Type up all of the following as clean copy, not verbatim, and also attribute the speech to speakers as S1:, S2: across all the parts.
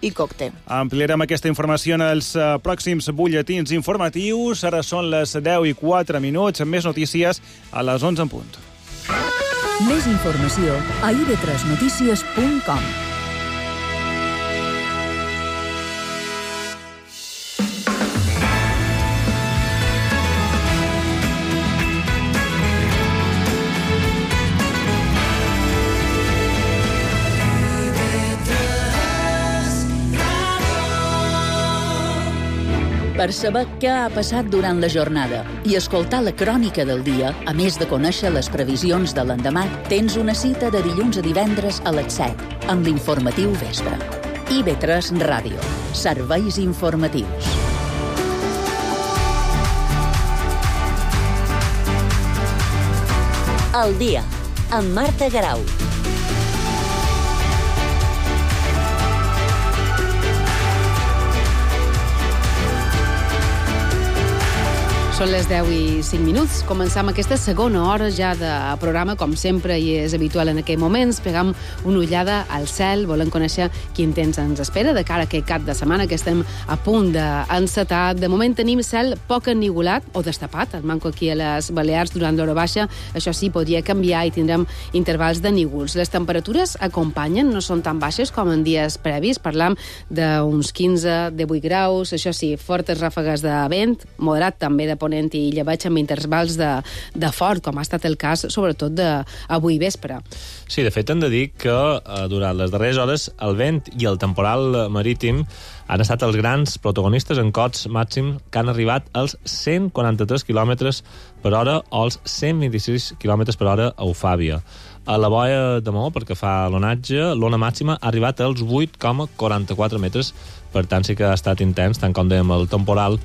S1: i còctel.
S2: Ampliarem aquesta informació en els pròxims butlletins informatius. Ara són les 10:04, més notícies a les 11 en punt.
S3: Més informació a ib3notícies.com. Per saber què ha passat durant la jornada i escoltar la crònica del dia, a més de conèixer les previsions de l'endemà, tens una cita de dilluns a divendres a les 7, amb l'informatiu vespre. IB3 Ràdio. Serveis informatius.
S4: El dia, amb Marta Garau.
S5: Són les 10:05. Començam aquesta segona hora ja de programa, com sempre i és habitual en aquells moments. Pegam una ullada al cel, volem conèixer quin temps ens espera de cara a aquest cap de setmana que estem a punt d'encetar. De moment tenim cel poc ennivolat o destapat, el manco aquí a les Balears durant l'hora baixa. Això sí, podria canviar i tindrem intervals de nívols. Les temperatures acompanyen, no són tan baixes com en dies previs. Parlam d'uns 15, 18 graus. Això sí, fortes ràfegues de vent, moderat també de ponent i llevaig amb intervals de fort, com ha estat el cas, sobretot d'avui vespre.
S6: Sí, de fet, hem de dir que durant les darreres hores el vent i el temporal marítim han estat els grans protagonistes en cots màxims que han arribat als 143 km per hora o als 126 km per hora a Eufàbia. A la boia de Maó, perquè fa l'onatge, l'ona màxima ha arribat als 8,44 metres, per tant sí que ha estat intens, tant com dèiem el temporal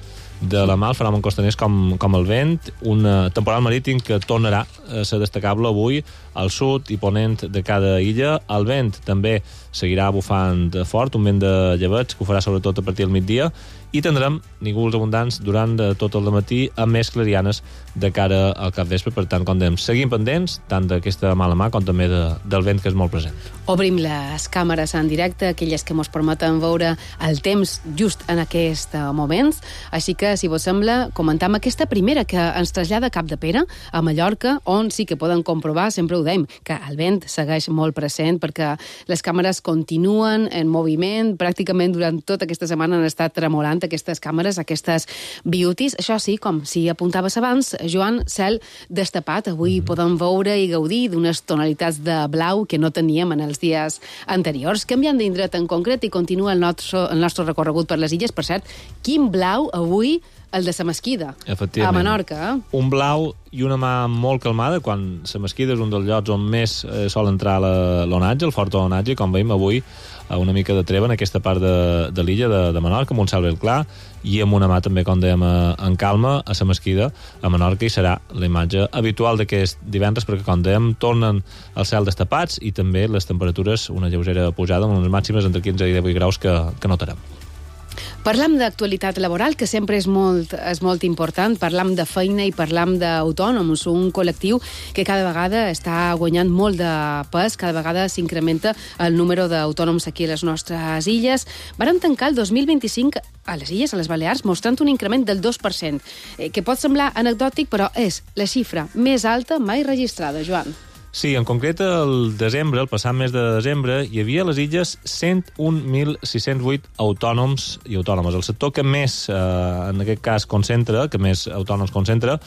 S6: de la mà, el fenomen costaners com el vent, un temporal marítim que tornarà a ser destacable avui al sud i ponent de cada illa. El vent també seguirà bufant fort, un vent de llebeig que ho farà sobretot a partir del migdia, i tindrem nívols abundants durant tot el matí amb més clarianes de cara al capvespre. Per tant, com dèiem, seguim pendents tant d'aquesta mala mà com també del vent que és molt present.
S5: Obrim les càmeres en directe, aquelles que ens permeten veure el temps just en aquest moment. Així que, si vos sembla, comentam aquesta primera que ens trasllada a Capdepera, a Mallorca, on sí que poden comprovar, sempre ho dèiem, que el vent segueix molt present perquè les càmeres continuen en moviment. Pràcticament durant tota aquesta setmana han estat tremolant aquestes càmeres, aquestes beauties. Això sí, com si apuntaves abans, Joan, cel destapat. Avui podem veure i gaudir d'unes tonalitats de blau que no teníem en els dies anteriors. Canviant d'indret en concret i continua el nostre recorregut per les illes. Per cert, quin blau avui el de la Mesquida, a Menorca.
S6: Un blau i una mà molt calmada, quan la Mesquida és un dels llocs on més sol entrar l'onatge, el fort onatge, com veiem avui, una mica de treva en aquesta part de l'illa de Menorca, amb un cel ben clar, i amb una mà també, com dèiem, en calma, a la Mesquida, a Menorca, i serà la imatge habitual d'aquest divendres, perquè, com dèiem, tornen el cel destapats i també les temperatures, una lleugera pujada, amb unes màximes entre 15 i 18 graus que notarem.
S5: Parlam d'actualitat laboral, que sempre és molt important. Parlam de feina i parlam d'autònoms, un col·lectiu que cada vegada està guanyant molt de pes, cada vegada s'incrementa el número d'autònoms aquí a les nostres illes. Varen tancar el 2025 a les illes, a les Balears, mostrant un increment del 2%, que pot semblar anecdòtic, però és la xifra més alta mai registrada, Joan.
S6: Sí, en concret, el desembre, el passat mes de desembre, hi havia a les illes 101.608 autònoms i autònomes. El sector que més, en aquest cas, concentra, que més autònoms concentra,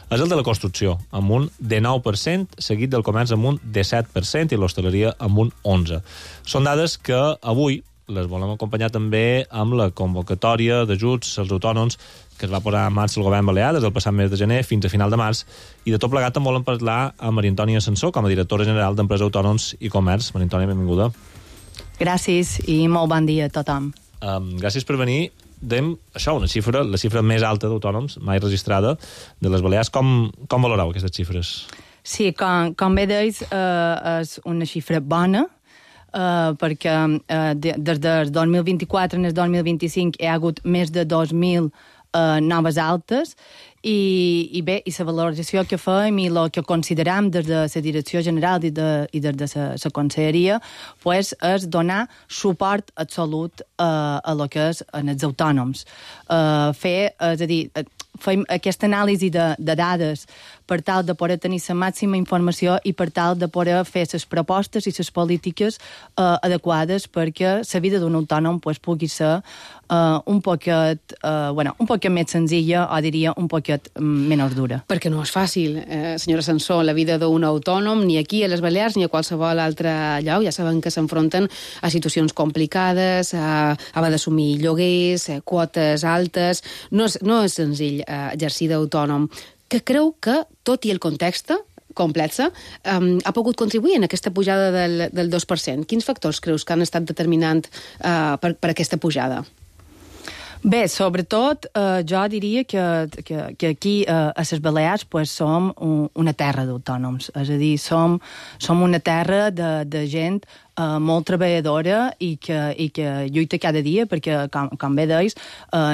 S6: és el de la construcció, amb un 19%, seguit del comerç amb un 17% i l'hostaleria amb un 11%. Són dades que avui les volem acompanyar també amb la convocatòria d'ajuts als autònoms que es va posar en marxa el govern balear des del passat mes de gener fins a final de març, i de tot plegat en volem parlar amb Maria Antònia Sansó, com a directora general d'Empresa Autònoms i Comerç. Maria Antònia, benvinguda.
S7: Gràcies i molt bon dia a tothom.
S6: Gràcies per venir. Dèiem això, la xifra més alta d'autònoms mai registrada de les Balears. Com valoreu aquestes xifres?
S7: Sí, com bé deus, és una xifra bona, perquè des del 2024 en el 2025 hi ha hagut més de 2.000 noves altes, i bé, i la valoració que fem i el que consideram des de la Direcció General i des de la Conselleria pues, és donar suport absolut a lo que és en els autònoms. És a dir, fem aquesta anàlisi de dades per tal de poder tenir la màxima informació i per tal de poder fer les propostes i les polítiques adequades perquè la vida d'un autònom pues, pugui ser un poquet més senzilla o diria un poquet menys dura.
S5: Perquè no és fàcil, senyora Sansó, la vida d'un autònom, ni aquí a les Balears ni a qualsevol altre lloc. Ja saben que s'enfronten a situacions complicades, a haver d'assumir lloguers, quotes altes. No és senzill exercir d'autònom. Que creu que, tot i el context complex, ha pogut contribuir en aquesta pujada del 2%? Quins factors creus que han estat determinants per aquesta pujada?
S7: Bé, sobretot jo diria que aquí a les Balears pues, som una terra d'autònoms, és a dir, som una terra de gent molt treballadora i que lluita cada dia, perquè, com bé deis,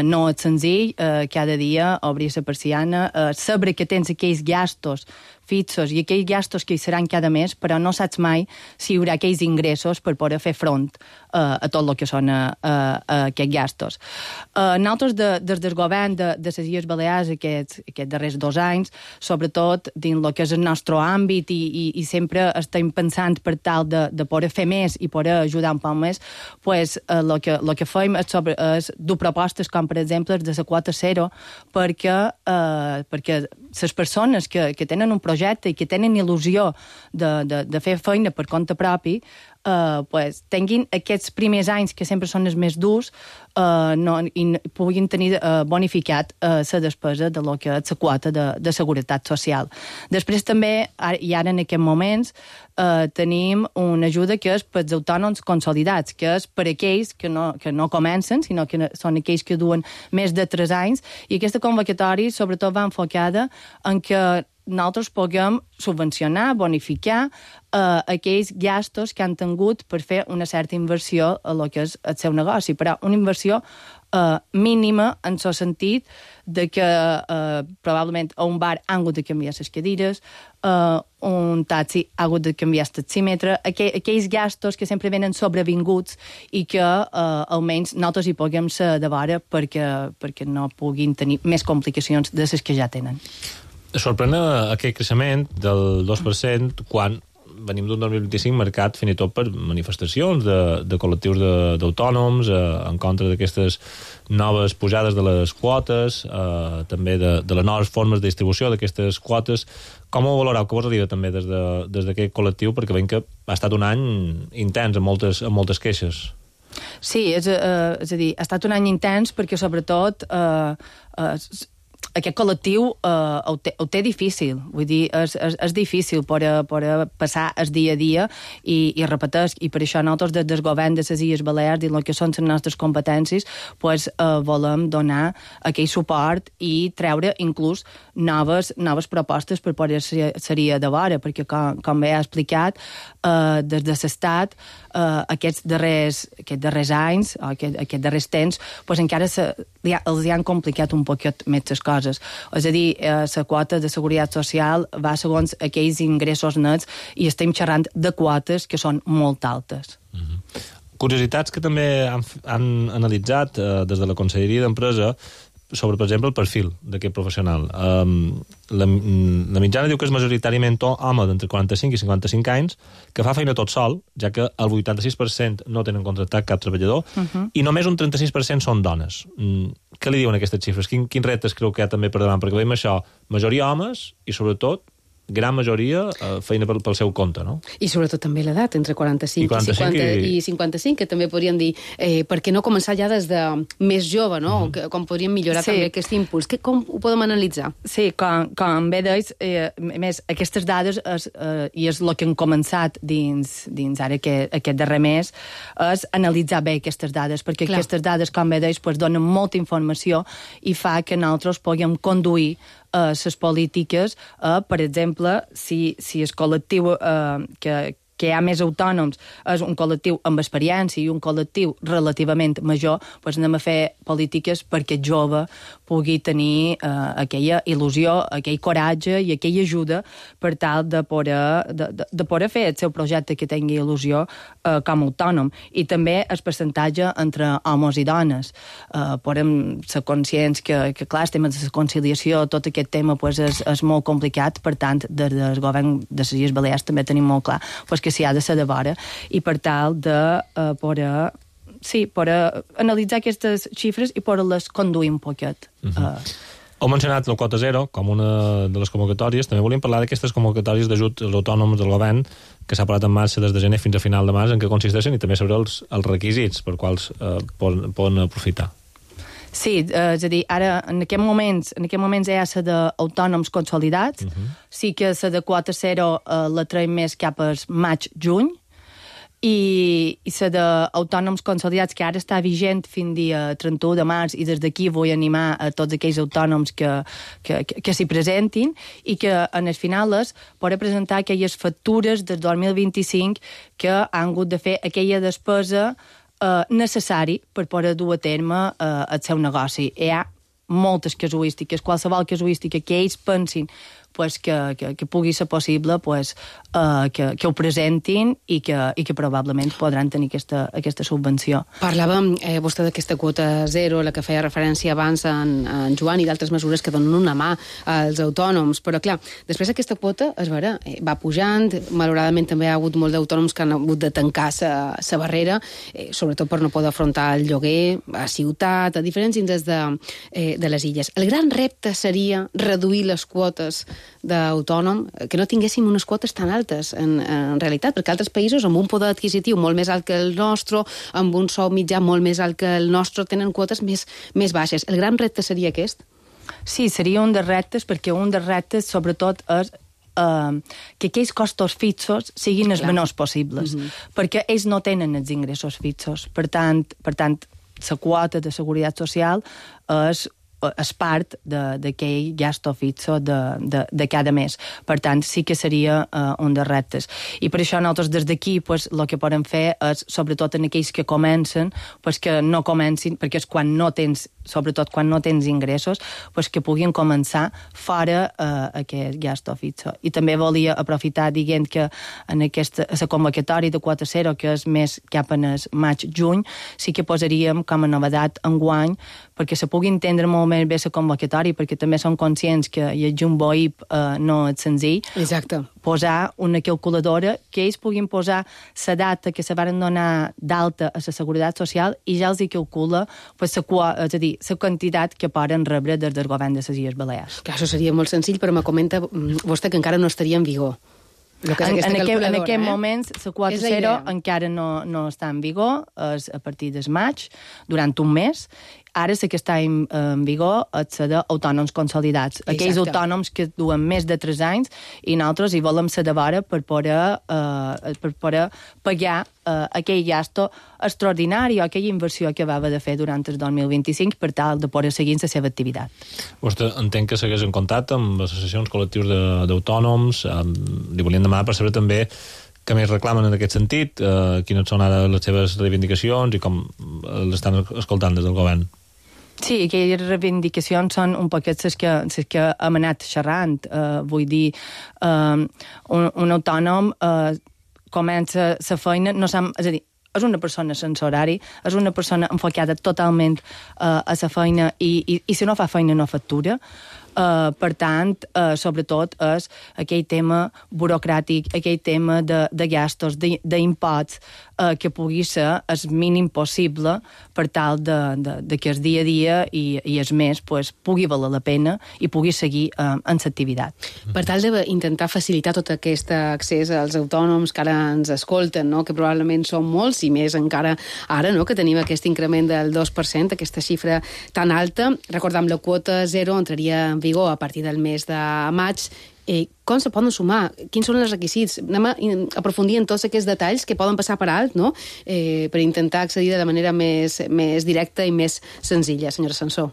S7: no és senzill cada dia obrir la persiana, saber que tens aquells gastos fixos i aquells gastos que hi seran cada mes, però no saps mai si hi haurà aquells ingressos per poder fer front a tot el que són aquests gastos. Nosaltres, des del govern de les Illes Balears, aquests darrers 2 anys, sobretot dins el que és el nostre àmbit i sempre estem pensant per tal de poder fer més i poder ajudar un poc més, pues, el que fem és dur propostes com, per exemple, de la quota zero, perquè les persones que tenen un projecte i que tenen il·lusió de fer feina per compte propi, pues, tinguin aquests primers anys que sempre són els més durs i puguin tenir bonificat la despesa de lo que és la quota de seguretat social. Després també, i ara en aquests moments, tenim una ajuda que és per als autònoms consolidats, que és per aquells que no comencen, sinó que són aquells que duen més de 3 anys, i aquesta convocatòria sobretot va enfocada en que nosaltres puguem subvencionar, bonificar aquells gastos que han tingut per fer una certa inversió a lo que és el seu negoci, però una inversió mínima en el sentit de que probablement a un bar han hagut de canviar les cadires, un taxi ha hagut de canviar el taxímetre, aquells gastos que sempre venen sobrevinguts i que almenys nosaltres hi puguem ser de vora perquè no puguin tenir més complicacions de les que ja tenen.
S6: Sorprèn aquest creixement del 2% quan venim d'un 2025 marcat fins i tot per manifestacions de col·lectius d'autònoms en contra d'aquestes noves pujades de les quotes, també de les noves formes de distribució d'aquestes quotes. Com ho valoreu? Què vos arriba també des d'aquest col·lectiu? Perquè veiem que ha estat un any intens amb moltes queixes.
S7: Sí, és a dir, ha estat un any intens perquè sobretot aquest col·lectiu ho té difícil, vull dir, és difícil per passar el dia a dia i repeteix, i per això nosaltres des del govern de les Illes Balears i el que són les nostres competències pues, volem donar aquell suport i treure inclús noves propostes per poder ser de vora, perquè com bé ha explicat des de l'Estat aquests darrers anys o aquests darrers temps pues, encara els han complicat un poquet més les coses. És a dir, la quota de seguretat social va segons aquells ingressos nets i estem xerrant de quotes que són molt altes.
S6: Curiositats que també han analitzat des de la Conselleria d'Empresa sobre, per exemple, el perfil d'aquest professional. La mitjana diu que és majoritàriament home d'entre 45 i 55 anys que fa feina tot sol, ja que el 86% no tenen contractat cap treballador i només un 36% són dones. Què li diuen aquestes xifres? Quins reptes creu que hi ha també per davant? Perquè veiem això, majoria homes i, sobretot, gran majoria feina pel seu compte, no?
S5: I sobretot també l'edat, entre 45 i 55, que també podríem dir, per què no començar ja des de més jove, no? Com podríem millorar també aquest impuls? Com ho podem analitzar?
S7: Sí, com bé deis, més, aquestes dades, i és el que hem començat dins ara aquest darrer mes, és analitzar bé aquestes dades, perquè aquestes dades, com bé deis, donen molta informació i fa que nosaltres puguem conduir les polítiques, per exemple, si el col·lectiu que que hi ha més autònoms, és un col·lectiu amb experiència i un col·lectiu relativament major, doncs anem a fer polítiques perquè el jove pugui tenir aquella il·lusió, aquell coratge i aquella ajuda per tal de poder fer el seu projecte que tingui il·lusió com a autònom. I també el percentatge entre homes i dones. Podem ser conscients que clar, el tema de la conciliació, tot aquest tema és molt complicat, per tant, des del govern de les Illes Balears també tenim molt clar que s'hi ha de ser de vora, i per tal de poder analitzar aquestes xifres i poder-les conduir un poquet.
S6: Heu mencionat la quota zero com una de les convocatòries. També volíem parlar d'aquestes convocatòries d'ajut als autònoms del govern que s'ha posat en marxa des de gener fins a final de març, en què consisteixen, i també saber els requisits per quals poden aprofitar.
S7: Sí, és a dir, ara en aquests moments hi ha la d'autònoms consolidats, sí que la de quota zero la traiem més cap al maig-juny, i la d'autònoms consolidats, que ara està vigent fins dia 31 de març, i des d'aquí vull animar a tots aquells autònoms que s'hi presentin, i que en el final és poder presentar aquelles factures del 2025 que han hagut de fer aquella despesa necessari per poder dur a terme el seu negoci. Hi ha moltes casuístiques, qualsevol casuística que ells pensin que pugui ser possible, que ho presentin i que probablement podran tenir aquesta subvenció.
S5: Parlàvem vostè d'aquesta quota zero, la que feia referència abans en Joan, i d'altres mesures que donen una mà als autònoms, però clar, després aquesta quota, és vera, va pujant, malauradament també hi ha hagut molts d'autònoms que han hagut de tancar la barrera, sobretot per no poder afrontar el lloguer a ciutat, a diferents indrets de les illes. El gran repte seria reduir les quotes d'autònom, que no tinguéssim unes quotes tan altes en realitat, perquè altres països amb un poder adquisitiu molt més alt que el nostre, amb un sou mitjà molt més alt que el nostre, tenen quotes més baixes. El gran repte seria aquest?
S7: Sí, seria un dels reptes, perquè un dels reptes sobretot és que aquells costos fixos siguin els menors possibles, perquè ells no tenen els ingressos fixos. Per tant, la quota de seguretat social és part d'aquell gasto fixo de cada mes. Per tant, sí que seria un dels reptes. I per això nosaltres des d'aquí el que podem fer és, sobretot en aquells que comencen, que no comencin, perquè és sobretot quan no tens ingressos, que puguin començar fora aquest gasto fixo. I també volia aprofitar dient que en la convocatòria de quota zero, que és més cap en el maig-juny, sí que posaríem com a novedat enguany, perquè se pugui entendre molt més bé la convocatòria, perquè també som conscients que el Jumbo IP no és senzill.
S5: Exacte.
S7: Posar una calculadora que ells puguin posar la data que se van donar d'alta a la Seguretat Social i ja els hi calcula és a dir, la quantitat que poden rebre des del govern de les Illes Balears.
S5: Clar, això seria molt senzill, però me comenta vostè que encara no estaria en vigor.
S7: En aquest moment, la quota zero encara no està en vigor, és a partir del maig, durant un mes. Ara la que està en vigor és la d'autònoms consolidats. Aquells autònoms que duen més de 3 anys, i nosaltres hi volem ser de vora per poder pagar aquell gasto extraordinari o aquella inversió que va haver de fer durant el 2025 per tal de poder seguir la seva activitat.
S6: Vostè entenc que segueix en contacte amb associacions col·lectius d'autònoms. Li volíem demanar per saber també que més reclamen en aquest sentit, quines són ara les seves reivindicacions i com l'estan escoltant des del govern.
S7: Sí, aquelles reivindicacions són un poquet les que hem anat xerrant. Vull dir, un autònom comença la feina, és a dir, és una persona sense horari, és una persona enfocada totalment a la feina i si no fa feina no factura. Per tant, sobretot és aquell tema burocràtic, aquell tema de gastos, d'imposts, que pugui ser el mínim possible per tal de que el dia a dia i el mes pugui valer la pena i pugui seguir en l'activitat.
S5: Per tal d'intentar facilitar tot aquest accés als autònoms que ara ens escolten, no? Que probablement són molts, i més encara ara, no? Que tenim aquest increment del 2%, aquesta xifra tan alta. Recordem, la quota zero entraria en vigor a partir del mes de maig. Com se poden sumar? Quins són els requisits? Anem a aprofundir en tots aquests detalls que poden passar per alt, no? Per intentar accedir de manera més directa i més senzilla, senyora Sansó.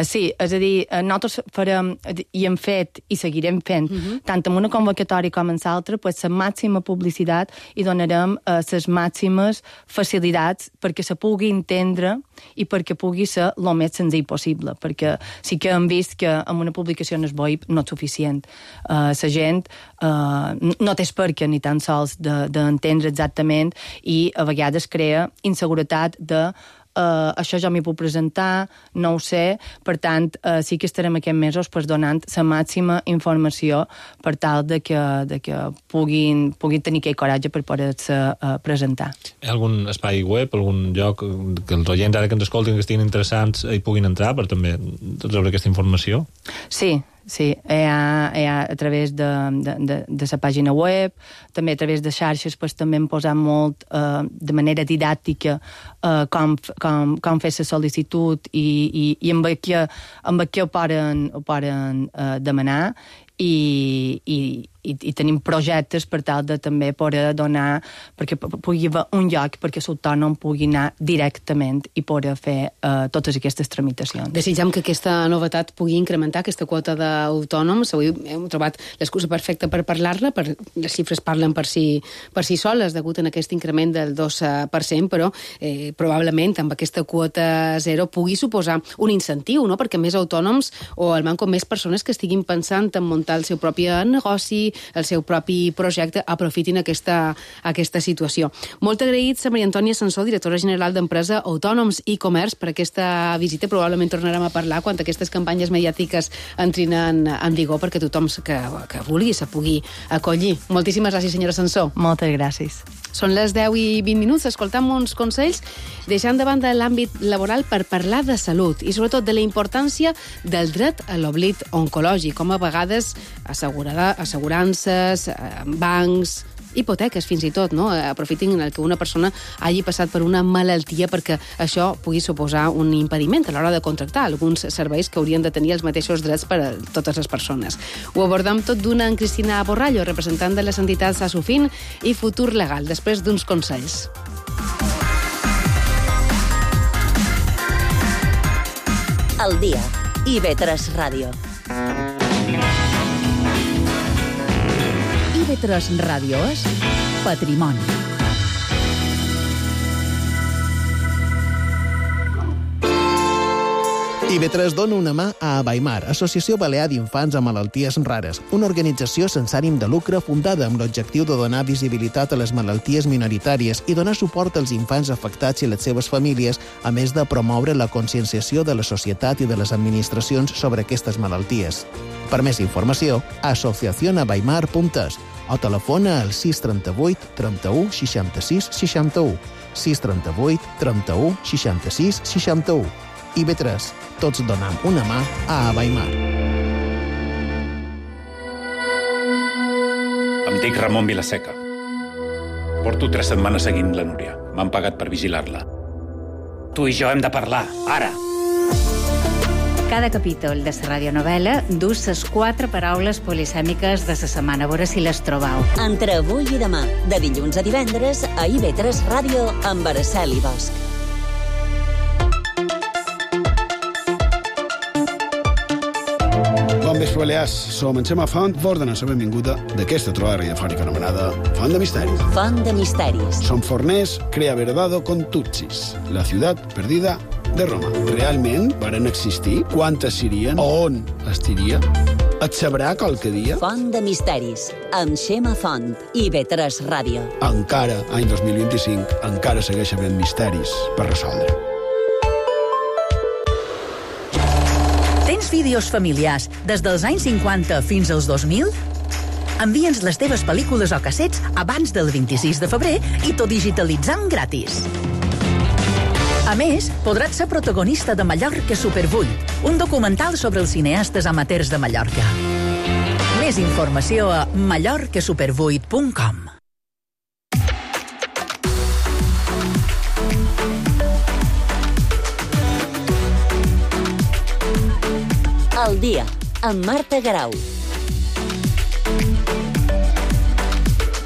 S7: Sí, és a dir, nosaltres farem, i hem fet, i seguirem fent, tant en una convocatòria com en l'altra, pues, la màxima publicitat i donarem les màximes facilitats perquè se pugui entendre i perquè pugui ser el més senzill possible, perquè sí que hem vist que amb una publicació en el web no és suficient. La gent no té perquè ni tan sols d'entendre exactament i a vegades crea inseguretat de això ja m'hi puc presentar, no ho sé, per tant, sí que estarem aquests mesos pues, donant la màxima informació per tal de que puguin tenir aquell coratge per poder-se presentar.
S6: Hi ha algun espai web, algun lloc que els oients ara que ens escoltin, que estiguin interessants, hi puguin entrar per també rebre aquesta informació?
S7: Sí, hi ha a través de la pàgina web, també a través de xarxes pues, també hem posat molt de manera didàctica com fer la sol·licitud i amb què ho poden demanar i tenim projectes per tal de també poder donar, perquè pugui haver un lloc perquè l'autònom pugui anar directament i poder fer totes aquestes tramitacions.
S5: Desitjam que aquesta novetat pugui incrementar aquesta quota d'autònoms. Avui hem trobat l'excusa perfecta per parlar-la, les xifres parlen per si soles, degut a aquest increment del 2%, però probablement amb aquesta quota zero pugui suposar un incentiu, no? Perquè més autònoms o al manco més persones que estiguin pensant en muntar el seu propi negoci, el seu propi projecte, aprofitin aquesta situació. Molt agraïts a Maria Antònia Sansó, directora general d'Empresa, Autònoms i Comerç, per aquesta visita. Probablement tornarem a parlar quan aquestes campanyes mediàtiques entrin en vigor perquè tothom que vulgui se pugui acollir. Moltíssimes gràcies, senyora Sansó.
S7: Moltes gràcies.
S5: Són les 10:20, escoltam uns consells, deixant de banda l'àmbit laboral per parlar de salut i sobretot de la importància del dret a l'oblit oncològic, com a vegades assegurances, bancs, hipoteques fins i tot, no? Aprofitin el que una persona hagi passat per una malaltia perquè això pugui suposar un impediment a l'hora de contractar alguns serveis que haurien de tenir els mateixos drets per a totes les persones. Ho abordam tot d'una en Cristina Borrallo, representant de les entitats Asufin i Futur Legal, després d'uns consells.
S4: Al dia. IB3 Ràdio.
S3: IB3 Ràdio és Patrimoni.
S1: IB3 dona una mà a Abaimar, Associació Balear d'Infants amb Malalties Rares, una organització sense ànim de lucre fundada amb l'objectiu de donar visibilitat a les malalties minoritàries i donar suport als infants afectats i les seves famílies, a més de promoure la conscienciació de la societat i de les administracions sobre aquestes malalties. Per més informació, asociacionabaimar.es o telefona al 638 31 66 61, 638 31 66 61. IB3, tots donam una mà a Abaimar.
S8: Em dic Ramon Vilaseca. Porto 3 setmanes seguint la Núria. M'han pagat per vigilar-la. Tu i jo hem de parlar, ara!
S9: Cada capítol de la radionovel·la du les 4 paraules polisèmiques de la setmana. A veure si les trobau.
S4: Entre avui i demà, de dilluns a divendres, a IB3 Ràdio, amb Araceli Bosch.
S10: Bon vespre, Balears. Som en Xema Font, vos donem la benvinguda d'aquesta trobada radiofònica anomenada Font de Misteris.
S4: Font de Misteris.
S10: Som forners, crea verdado con Tutsis, la ciutat perdida de Roma. Realment varen existir? Quantes serien? On estiria? Et sabrà qualque dia?
S4: Font de Misteris, amb Xema Font, IB3 Ràdio.
S10: Encara, any 2025, encara segueix havent misteris per resoldre.
S11: Tens vídeos familiars des dels anys 50 fins als 2000? Envia'ns les teves pel·lícules o cassets abans del 26 de febrer i tot digitalitzant gratis. A més, podràs ser protagonista de Mallorca Super 8, un documental sobre els cineastes amateurs de Mallorca. Més informació a mallorcasuper8.com.
S4: Al dia, amb Marta Garau.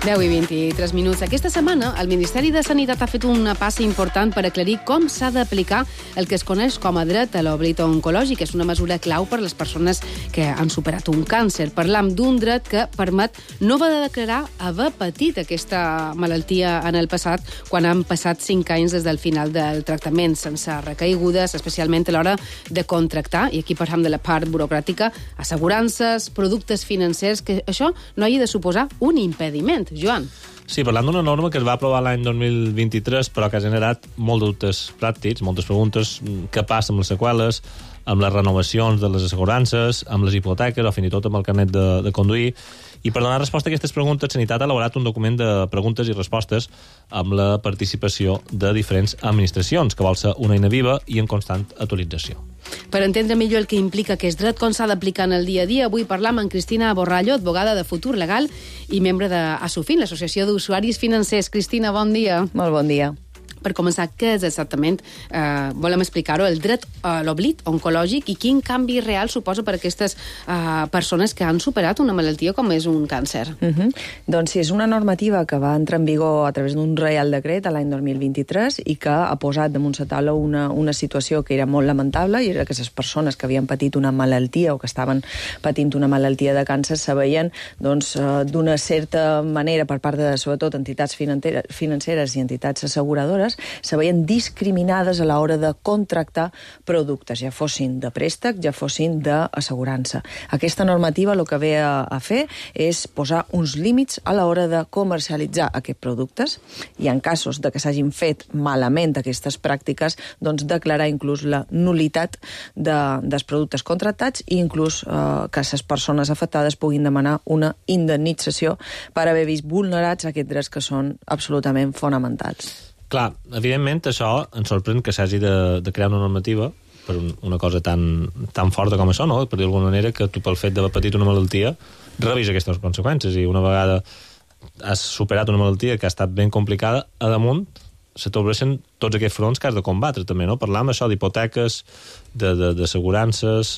S5: 10:23. Aquesta setmana, el Ministeri de Sanitat ha fet una passa important per aclarir com s'ha d'aplicar el que es coneix com a dret a l'oblit oncològic. És una mesura clau per a les persones que han superat un càncer. Parlam d'un dret que permet no haver de declarar haver patit aquesta malaltia en el passat quan han passat 5 anys des del final del tractament, sense recaigudes, especialment a l'hora de contractar, i aquí parlem de la part burocràtica, assegurances, productes financers, que això no hagi de suposar un impediment. Joan.
S6: Sí, parlant d'una norma que es va aprovar l'any 2023, però que ha generat molts dubtes pràctics, moltes preguntes. Què passa amb les seqüeles, amb les renovacions de les assegurances, amb les hipoteques o fins i tot amb el carnet de conduir? I per donar resposta a aquestes preguntes, Sanitat ha elaborat un document de preguntes i respostes amb la participació de diferents administracions, que vol ser una eina viva i en constant actualització.
S5: Per entendre millor el que implica aquest dret, com s'ha d'aplicar en el dia a dia, avui parlam amb Cristina Borrallo, advogada de Futur Legal i membre d'Asufin, l'Associació d'Usuaris Financers. Cristina, bon dia.
S12: Molt bon dia.
S5: Per començar, què és exactament, volem explicar-ho, el dret a l'oblit oncològic i quin canvi real suposa per a aquestes persones que han superat una malaltia com és un càncer?
S12: Doncs sí, és una normativa que va entrar en vigor a través d'un Reial Decret l'any 2023 i que ha posat damunt la taula una situació que era molt lamentable, i era que les persones que havien patit una malaltia o que estaven patint una malaltia de càncer se veien d'una certa manera per part de, sobretot, entitats financeres i entitats asseguradores, se veien discriminades a l'hora de contractar productes, ja fossin de préstec, ja fossin d'assegurança. Aquesta normativa el que ve a fer és posar uns límits a l'hora de comercialitzar aquests productes i en casos de que s'hagin fet malament aquestes pràctiques, doncs declarar inclús la nulitat dels productes contractats i inclús que les persones afectades puguin demanar una indemnització per haver vist vulnerats aquests drets que són absolutament fonamentals.
S6: Clar, evidentment això ens sorprèn que s'hagi de crear una normativa per una cosa tan forta com això, no? Per dir d'alguna manera que tu, pel fet d'haver patit una malaltia, rebis aquestes conseqüències, i una vegada has superat una malaltia que ha estat ben complicada, a damunt se t'obreixen tots aquests fronts que has de combatre també, no? Parlam això d'hipoteques, d'assegurances,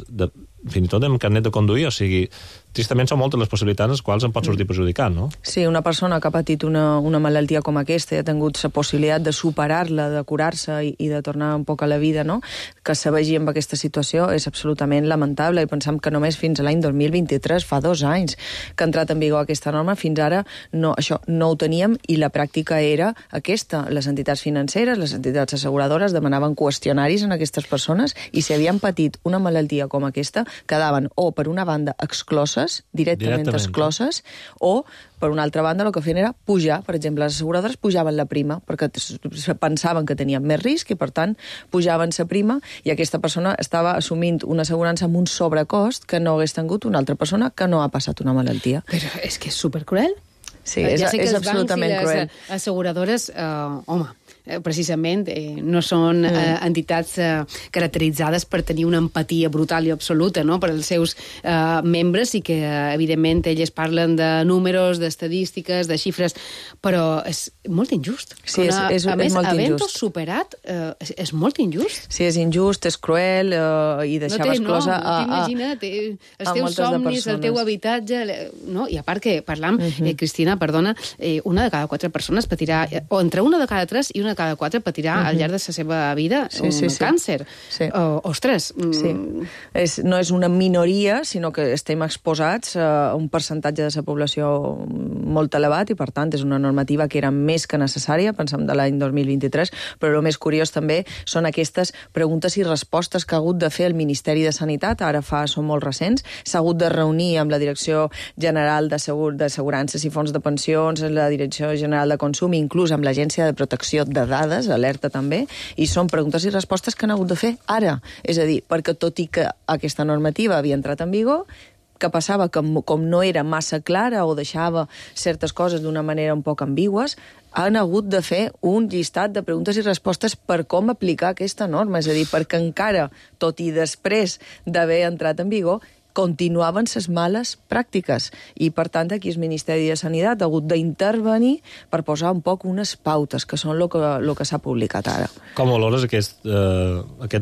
S6: fins i tot amb carnet de conduir, o sigui, tristament són moltes les possibilitats les quals en pot sortir perjudicat, no?
S12: Sí, una persona que ha patit una malaltia com aquesta i ha tingut la possibilitat de superar-la, de curar-se i de tornar un poc a la vida, no? Que se vegi amb aquesta situació és absolutament lamentable, i pensem que només fins a l'any 2023, fa 2 anys que ha entrat en vigor aquesta norma, fins ara això no ho teníem, i la pràctica era aquesta. Les entitats financeres, les entitats asseguradores demanaven qüestionaris en aquestes persones, i si havien patit una malaltia com aquesta, quedaven o per una banda excloses, directament excloses, o per una altra banda el que feien era pujar. Per exemple, les asseguradores pujaven la prima perquè pensaven que tenien més risc i per tant pujaven la prima, i aquesta persona estava assumint una assegurança amb un sobrecost que no hagués tingut una altra persona que no ha passat una malaltia.
S5: Però és que és supercruel.
S12: Sí, és absolutament cruel.
S5: Les asseguradores, precisament no són entitats caracteritzades per tenir una empatia brutal i absoluta, no?, per als seus membres, i que evidentment elles parlen de números, d'estadístiques, de xifres, però és molt injust.
S12: Sí, és molt injust.
S5: A més, havent-ho superat, és molt injust.
S12: Sí, és injust, és cruel, i deixava exclosa
S5: t'imagina't, els teus somnis, el teu habitatge, no? I a part que parlam, Cristina, perdona, una de cada 4 persones patirà, o entre una de cada 3 i una de cada 4 patirà al llarg de la seva vida un càncer. Ostres!
S12: No és una minoria, sinó que estem exposats a un percentatge de la població molt elevat, i per tant és una normativa que era més que necessària, pensem de l'any 2023, però el més curiós també són aquestes preguntes i respostes que ha hagut de fer el Ministeri de Sanitat, són molt recents, s'ha hagut de reunir amb la Direcció General d'Assegurances i Fons de Pensions, la Direcció General de Consum, inclús amb l'Agència de Protecció de Dades, alerta també, i són preguntes i respostes que han hagut de fer ara. És a dir, perquè tot i que aquesta normativa havia entrat en vigor, que passava que com no era massa clara o deixava certes coses d'una manera un poc ambigües, han hagut de fer un llistat de preguntes i respostes per com aplicar aquesta norma. És a dir, perquè encara, tot i després d'haver entrat en vigor, continuaven les males pràctiques. I, per tant, aquí el Ministeri de Sanitat ha hagut d'intervenir per posar un poc unes pautes, que són el que s'ha publicat ara.
S6: Com valores aquest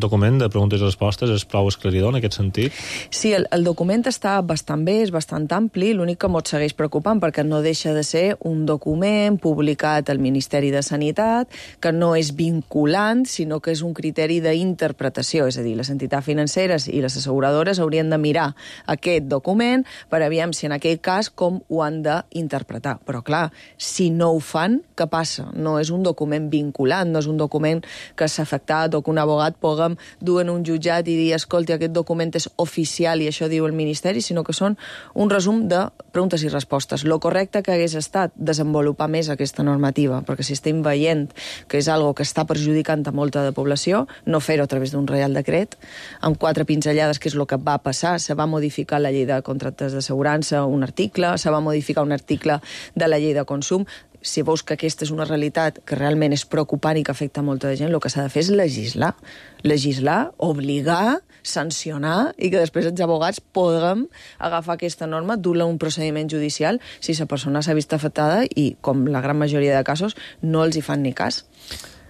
S6: document de preguntes i respostes? És prou esclaridor en aquest sentit?
S12: Sí, el document està bastant bé, és bastant ampli, l'únic que mos segueix preocupant perquè no deixa de ser un document publicat al Ministeri de Sanitat, que no és vinculant, sinó que és un criteri d'interpretació, és a dir, les entitats financeres i les asseguradores haurien de mirar aquest document per aviam si en aquell cas com ho han d'interpretar. Però clar, si no ho fan, què passa? No és un document vinculant, no és un document que s'ha afectat o que un abogat puguem dur en un jutjat i dir, escolti, aquest document és oficial i això diu el Ministeri, sinó que són un resum de preguntes i respostes. Lo correcte que hagués estat desenvolupar més aquesta normativa, perquè si estem veient que és algo que està perjudicant a molta de població, no fer-ho a través d'un reial decret, amb 4 pinzellades, que és el que va passar. Se va modificar la llei de contractes d'assegurança, un article, se va modificar un article de la llei de consum. Si veus que aquesta és una realitat que realment és preocupant i que afecta molta de gent, el que s'ha de fer és legislar. Legislar, obligar, sancionar, i que després els abogats puguem agafar aquesta norma, dur-la a un procediment judicial si la persona s'ha vist afectada i, com la gran majoria de casos, no els hi fan ni cas.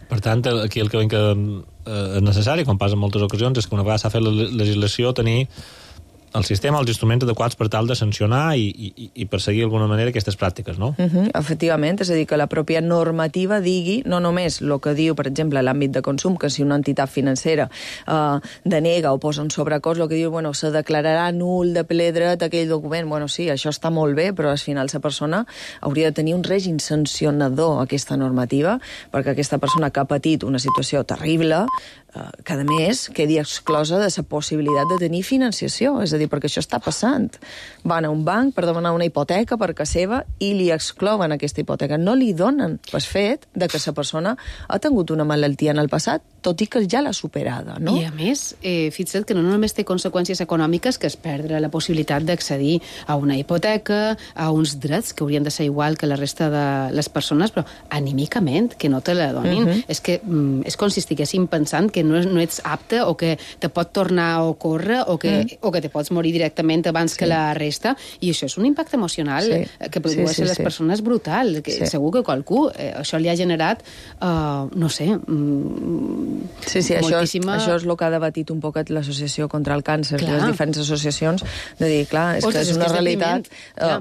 S6: Per tant, aquí el que veiem que és necessari, com passa en moltes ocasions, és que una vegada s'ha fet la legislació, tenir el sistema, els instruments adequats per tal de sancionar i perseguir d'alguna manera aquestes pràctiques, no?
S12: Efectivament, és a dir, que la pròpia normativa digui no només el que diu, per exemple, l'àmbit de consum, que si una entitat financera denega o posa un sobrecost, el que diu, bueno, se declararà nul de ple dret aquell document. Bueno, sí, això està molt bé, però al final la persona hauria de tenir un règim sancionador, aquesta normativa, perquè aquesta persona que ha patit una situació terrible, que a més quedi exclosa de la possibilitat de tenir financiació, és a dir, perquè això està passant. Van a un banc per demanar una hipoteca per casa seva i li exclouen aquesta hipoteca. No li donen pel fet de que la persona ha tingut una malaltia en el passat, tot i que ja l'ha superada, no?
S5: I a més, fixa't que no només té conseqüències econòmiques, que és perdre la possibilitat d'accedir a una hipoteca, a uns drets que haurien de ser igual que la resta de les persones, però anímicament, que no te la donin. És que és com si estiguéssim pensant que no ets apte o que te pot tornar a ocórrer o que te pots morir directament abans que la resta, i això és un impacte emocional que produeix a les persones brutal. Segur que qualcú això li ha generat, no sé, moltíssima...
S12: Això és el que ha debatit un poc l'associació contra el càncer, les diferents associacions, de dir, clar, és que és una realitat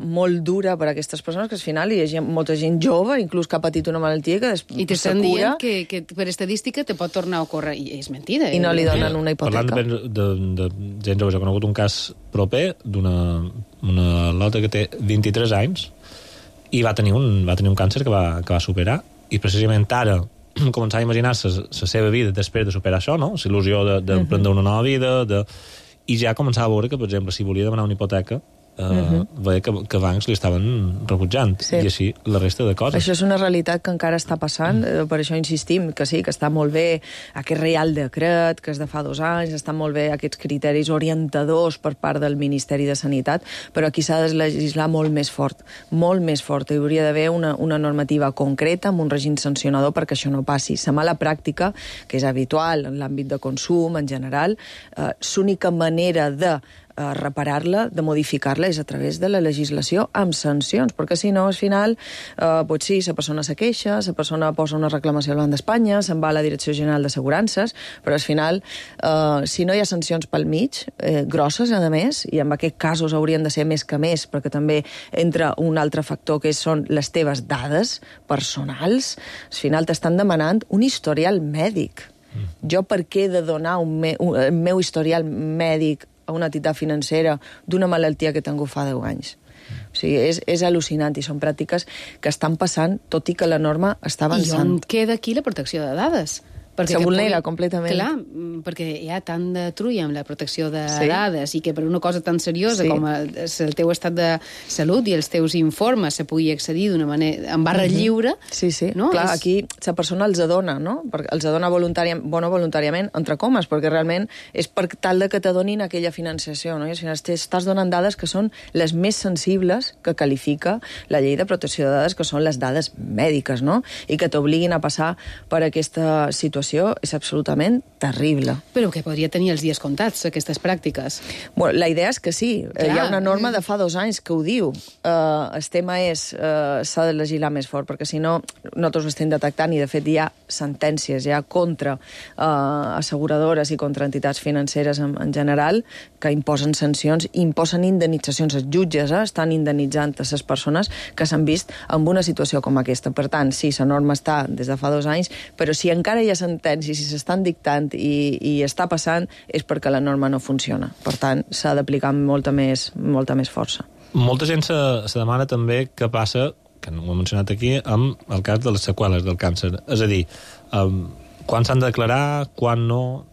S12: molt dura per a aquestes persones, que al final hi ha molta gent jove, inclús que ha patit una malaltia, que
S5: i t'estan dient que per estadística te pot tornar a ocórrer, i és mentida.
S12: I no li donen una hipoteca.
S6: Parlant de gent jove, he conegut un cas proper d'una lota que té 23 anys i va tenir un càncer que va superar, i precisament ara començar a imaginar la seva vida després de superar això, no? L'il·lusió d'emprendre una nova vida, i ja començava a veure que, per exemple, si volia demanar una hipoteca, veia que bancs li estaven rebutjant, i així la resta de coses.
S12: Això és una realitat que encara està passant, per això insistim que sí, que està molt bé aquest reial decret, que és de fa 2 anys, estan molt bé aquests criteris orientadors per part del Ministeri de Sanitat, però aquí s'ha de legislar molt més fort, hi hauria d'haver una normativa concreta amb un règim sancionador perquè això no passi. La mala pràctica, que és habitual en l'àmbit de consum en general, l'única manera de reparar-la, de modificar-la, és a través de la legislació amb sancions, perquè si no, al final, doncs sí, la persona se queixa, la persona posa una reclamació al Banc d'Espanya, se'n va a la Direcció General d'Assegurances, però al final, si no hi ha sancions pel mig, grosses, a més, i en aquests casos haurien de ser més que més, perquè també entra un altre factor que són les teves dades personals, al final t'estan demanant un historial mèdic. Jo per què he de donar el meu historial mèdic a una entitat financera d'una malaltia que he tingut fa 10 anys? O sigui, és al·lucinant, i són pràctiques que estan passant, tot i que la norma està avançant.
S5: I on queda aquí la protecció de dades?
S12: Se vulnera completament.
S5: Clar, perquè hi ha tant de trulla amb la protecció de dades, i que per una cosa tan seriosa com el teu estat de salut i els teus informes se pugui accedir d'una manera en barra lliure.
S12: No? Clar, aquí la persona els adona, no? Els adona voluntàriament, entre comes, perquè realment és per tal de que t'adonin aquella financiació, no? I al final estàs donant dades que són les més sensibles que qualifica la llei de protecció de dades, que són les dades mèdiques, no? I que t'obliguin a passar per aquesta situació situació és absolutament terrible.
S5: Però que podria tenir els dies comptats, aquestes pràctiques.
S12: Bueno, la idea és que sí.
S5: Clar.
S12: Hi ha una norma de fa 2 anys que ho diu. El tema és s'ha de legislar més fort, perquè si no, nosaltres ho estem detectant i, de fet, hi ha sentències ja contra asseguradores i contra entitats financeres en general que imposen sancions, imposen indemnitzacions. Els jutges estan indemnitzant a les persones que s'han vist en una situació com aquesta. Per tant, sí, la norma està des de fa 2 anys, però si encara hi ha sentències, si s'estan dictant i està passant, és perquè la norma no funciona. Per tant, s'ha d'aplicar amb molta més força.
S6: Molta gent se demana també què passa, que no ho he mencionat aquí, amb el cas de les seqüeles del càncer. És a dir, quan s'han de declarar, quan no,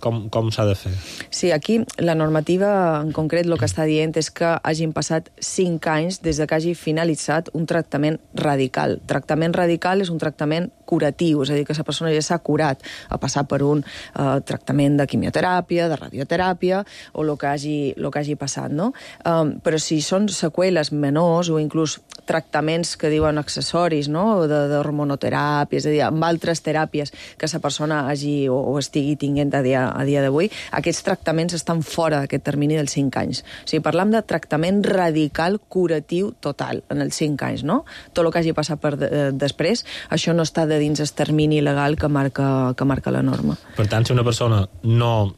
S6: com s'ha de fer?
S12: Sí, aquí la normativa en concret el que està dient és que hagin passat 5 anys des que hagi finalitzat un tractament radical. Tractament radical és un tractament curatiu, és a dir, que la persona ja s'ha curat a passar per un tractament de quimioteràpia, de radioteràpia, o el que hagi passat, no? Però si són seqüeles menors o inclús tractaments que diuen accessoris, no?, d'hormonoteràpia, és a dir, amb altres teràpies que la persona hagi o estigui tinguent a dia d'avui, aquests tractaments estan fora d'aquest termini dels 5 anys. O sigui, parlam de tractament radical curatiu total en els 5 anys, no? Tot el que hagi passat després, això no està de dins el termini legal que marca la norma.
S6: Per tant, si una persona no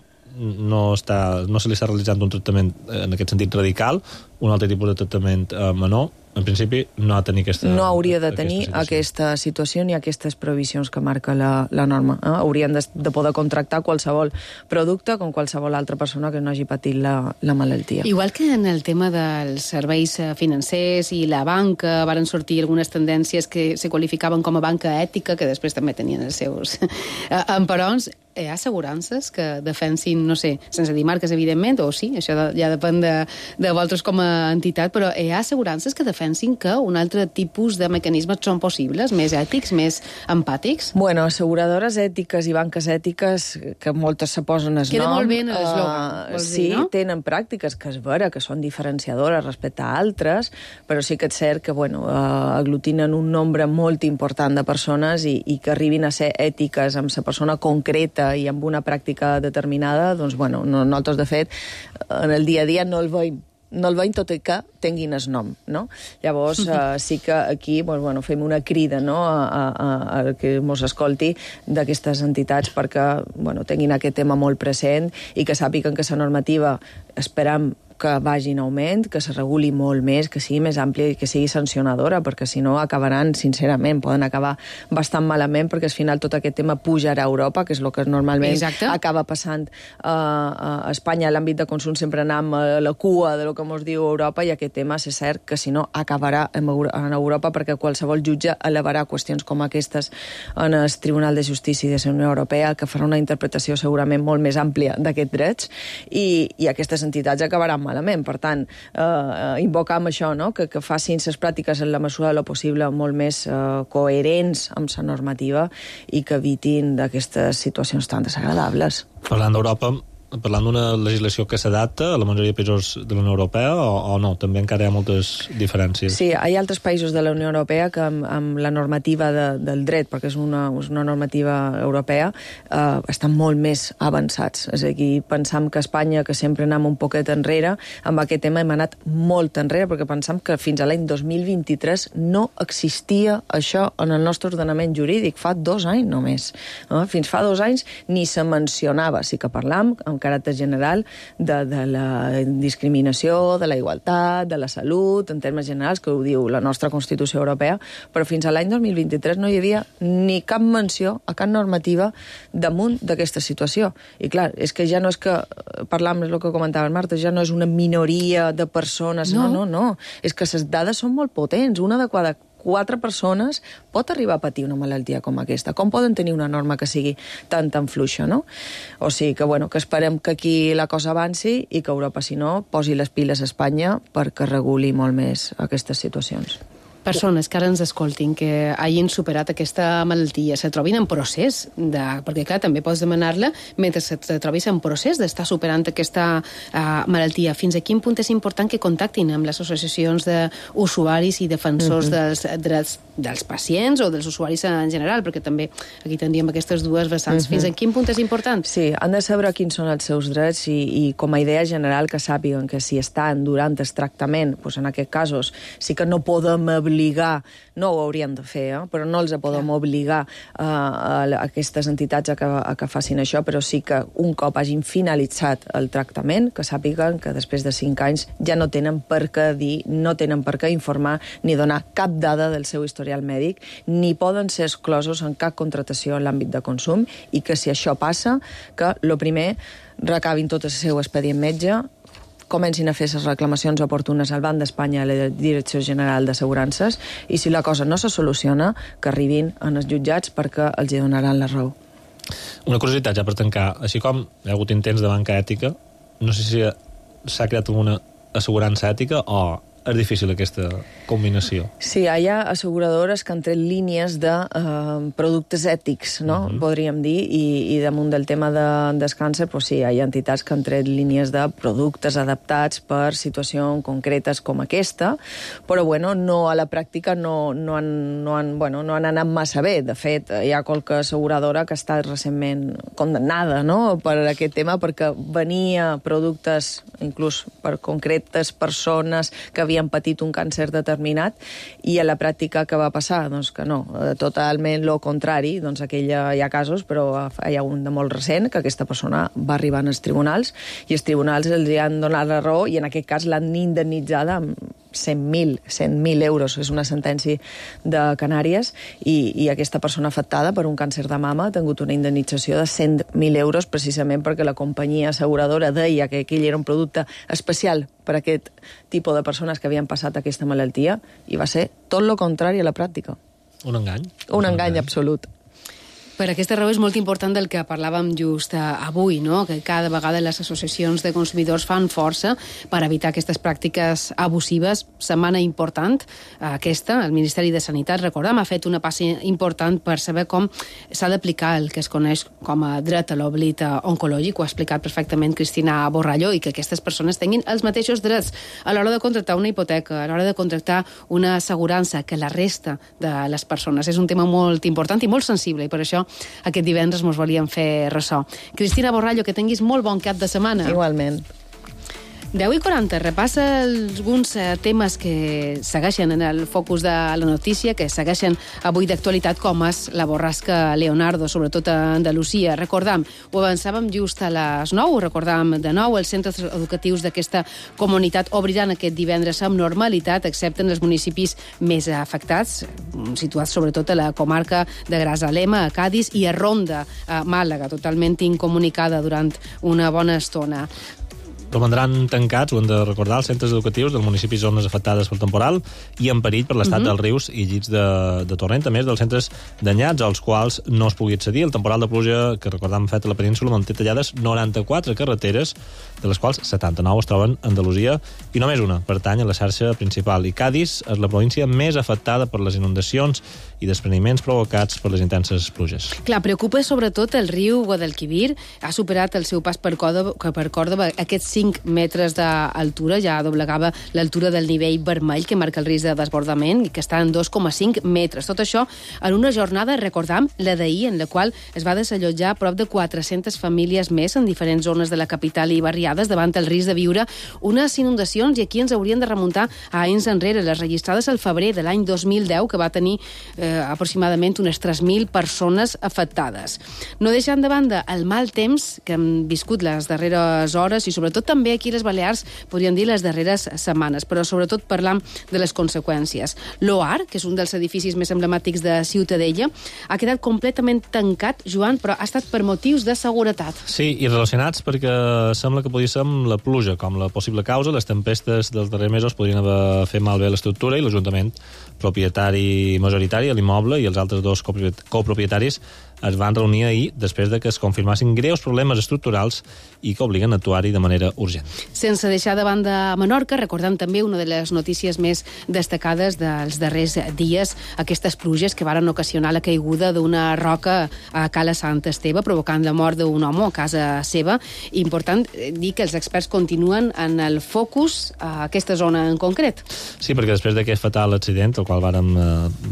S6: se li està realitzant un tractament en aquest sentit radical, un altre tipus de tractament menor, en principi no ha de tenir aquesta...
S12: No hauria de tenir aquesta situació ni aquestes previsions que marca la norma. Haurien de poder contractar qualsevol producte com qualsevol altra persona que no hagi patit la malaltia.
S5: Igual que en el tema dels serveis financers i la banca, varen sortir algunes tendències que se qualificaven com a banca ètica, que després també tenien els seus emperons. Hi ha assegurances que defensin, no sé, sense dir marques, evidentment, o sí, això ja depèn de vosaltres com a entitat, però hi ha assegurances que defensin que un altre tipus de mecanismes són possibles, més ètics, més empàtics?
S12: Bueno, asseguradores ètiques i banques ètiques, que moltes se posen el nom...
S5: Queda molt bé en l'eslògan, vols dir, no?
S12: Sí, tenen pràctiques que és vera, que són diferenciadores respecte a altres, però sí que és cert que, bueno, aglutinen un nombre molt important de persones i que arribin a ser ètiques amb la persona concreta i amb una pràctica determinada, doncs, bueno, nosaltres, de fet, en el dia a dia no el veiem tot i que tinguin el nom, no? Llavors, sí que aquí bueno, fem una crida, no?, a que mos escolti d'aquestes entitats perquè, bueno, tinguin aquest tema molt present i que sàpiguen que la normativa, esperam que vagi en augment, que se reguli molt més, que sigui més àmplia i que sigui sancionadora, perquè si no acabaran, sincerament, poden acabar bastant malament, perquè al final tot aquest tema pujarà a Europa, que és el que normalment acaba passant a Espanya. A l'àmbit de consum sempre anem a la cua de lo que ens diu Europa, i aquest tema, és cert que si no acabarà en Europa, perquè qualsevol jutge elevarà qüestions com aquestes en el Tribunal de Justícia de la Unió Europea, que farà una interpretació segurament molt més àmplia d'aquests drets, i aquestes entitats acabaran malament. Per tant, invocam això, no?, que facin les pràctiques en la mesura de lo possible molt més coherents amb la normativa i que evitin d'aquestes situacions tan desagradables.
S6: Parlant d'Europa, parlant d'una legislació que s'adapta a la majoria de països de la Unió Europea o no? També encara hi ha moltes diferències.
S12: Sí, hi ha altres països de la Unió Europea que amb la normativa del dret, perquè és una normativa europea, estan molt més avançats. És a dir, pensam que Espanya, que sempre anem un poquet enrere, amb aquest tema hem anat molt enrere, perquè pensam que fins a l'any 2023 no existia això en el nostre ordenament jurídic, fa 2 anys només. Fins fa 2 anys ni se mencionava. Sí que parlam amb caràcter general de la discriminació, de la igualtat, de la salut, en termes generals, que ho diu la nostra Constitució Europea, però fins a l'any 2023 no hi havia ni cap menció a cap normativa damunt d'aquesta situació. I clar, és que ja no és que, parlam, és el que comentava Marta, ja no és una minoria de persones, no. És que les dades són molt potents. Una de cada 4 persones pot arribar a patir una malaltia com aquesta. Com poden tenir una norma que sigui tan fluixa, no? O sigui que, bueno, que esperem que aquí la cosa avanci i que Europa, si no, posi les piles a Espanya perquè reguli molt més aquestes situacions.
S5: Persones que ara ens escoltin, que hagin superat aquesta malaltia, se trobin en procés, perquè clar, també pots demanar-la mentre te trobis en procés d'estar superant aquesta malaltia. Fins a quin punt és important que contactin amb les associacions d'usuaris i defensors dels drets dels pacients o dels usuaris en general, perquè també aquí tindríem aquestes dues vessants. Fins en quin punt és important?
S12: Sí, han de saber quins són els seus drets i com a idea general que sàpiguen que si estan durant el tractament, doncs en aquests casos sí que no podem obligar, no ho haurien de fer, però no els podem obligar a aquestes entitats a que facin això, però sí que un cop hagin finalitzat el tractament, que sàpiguen que després de 5 anys ja no tenen per què dir, no tenen per què informar ni donar cap dada del seu historial mèdic, ni poden ser exclosos en cap contractació en l'àmbit de consum, i que si això passa, que el primer recabin tot el seu expedient metge, comencin a fer les reclamacions oportunes al Banc d'Espanya a la Direcció General d'Assegurances, i si la cosa no se soluciona, que arribin als jutjats perquè els hi donaran la raó.
S6: Una curiositat ja per tancar. Així com hi ha hagut intents de banca ètica, no sé si s'ha creat alguna assegurança ètica o és difícil aquesta combinació.
S12: Sí, hi ha asseguradores que han tret línies de productes ètics, no? Podríem dir, i damunt del tema del càncer, doncs sí, hi ha entitats que han tret línies de productes adaptats per situacions concretes com aquesta, però bueno, no, a la pràctica no han anat massa bé. De fet, hi ha qualque asseguradora que ha estat recentment condemnada, no?, per aquest tema, perquè venia productes inclús per concretes persones que havien patit un càncer determinat, i a la pràctica què va passar? Doncs que no, totalment lo contrari. Doncs hi ha casos, però hi ha un de molt recent, que aquesta persona va arribar als tribunals, i els tribunals els han donat la raó, i en aquest cas l'han indemnitzada amb 100.000 euros. És una sentència de Canàries, i aquesta persona afectada per un càncer de mama ha tingut una indemnització de 100.000 euros precisament perquè la companyia asseguradora deia que aquell era un producte especial per a aquest tipus de persones que havien passat aquesta malaltia, i va ser tot el contrari a la pràctica.
S6: Un engany.
S12: Un engany absolut.
S5: Per aquesta raó és molt important del que parlàvem just avui, no?, que cada vegada les associacions de consumidors fan força per evitar aquestes pràctiques abusives. Setmana important aquesta. El Ministeri de Sanitat, recordem, ha fet una passa important per saber com s'ha d'aplicar el que es coneix com a dret a l'oblit oncològic. Ho ha explicat perfectament Cristina Borrallo, i que aquestes persones tinguin els mateixos drets a l'hora de contractar una hipoteca, a l'hora de contractar una assegurança, que la resta de les persones. És un tema molt important i molt sensible, i per això aquest divendres mos volíem fer ressò. Cristina Borrallo, que tinguis molt bon cap de setmana.
S12: Igualment.
S5: 10:40, repassa alguns temes que segueixen en el focus de la notícia, que segueixen avui d'actualitat, com és la borrasca Leonardo, sobretot a Andalusia. Recordam, ho avançàvem just a les 9, recordam de nou, els centres educatius d'aquesta comunitat obriran aquest divendres amb normalitat, excepte en els municipis més afectats, situats sobretot a la comarca de Grazalema, a Cádiz, i a Ronda, a Màlaga, totalment incomunicada durant una bona estona.
S6: Romandran tancats, ho hem de recordar, els centres educatius dels municipis zones afectades pel temporal i en perill per l'estat dels rius i llits de torrent, a més dels centres danyats als quals no es pugui accedir. El temporal de pluja que recordàvem fet a la península manté tallades 94 carreteres, de les quals 79 es troben a Andalusia, i només una pertany a la xarxa principal. I Cádiz és la província més afectada per les inundacions i despreniments provocats per les intenses pluges.
S5: Clar, preocupa sobretot el riu Guadalquivir. Ha superat el seu pas per Còrdova aquests 5 metres d'altura, ja doblegava l'altura del nivell vermell que marca el risc de desbordament, i que està en 2,5 metres. Tot això en una jornada, recordam, la d'ahir, en la qual es va desallotjar prop de 400 famílies més en diferents zones de la capital i barriades davant el risc de viure unes inundacions, i aquí ens haurien de remuntar a anys enrere, les registrades al febrer de l'any 2010, que va tenir aproximadament unes 3.000 persones afectades. No deixant de banda el mal temps que hem viscut les darreres hores, i sobretot també aquí a les Balears, podríem dir les darreres setmanes, però sobretot parlant de les conseqüències. L'OAR, que és un dels edificis més emblemàtics de Ciutadella, ha quedat completament tancat, Joan, però ha estat per motius de seguretat.
S6: Sí, i relacionats perquè sembla que podia ser amb la pluja com la possible causa. Les tempestes dels darrers mesos podrien haver fet malbé l'estructura, i l'Ajuntament propietari majoritari a l'immoble i els altres dos copropietaris es van reunir ahir després de que es confirmassin greus problemes estructurals i que obliguen a actuar-hi de manera urgent.
S5: Sense deixar de banda Menorca, recordem també una de les notícies més destacades dels darrers dies, aquestes pluges que varen ocasionar la caiguda d'una roca a Cala Sant Esteve, provocant la mort d'un home a casa seva. Important dir que els experts continuen en el focus a aquesta zona en concret.
S6: Sí, perquè després d'aquest fatal accident, el qual vàrem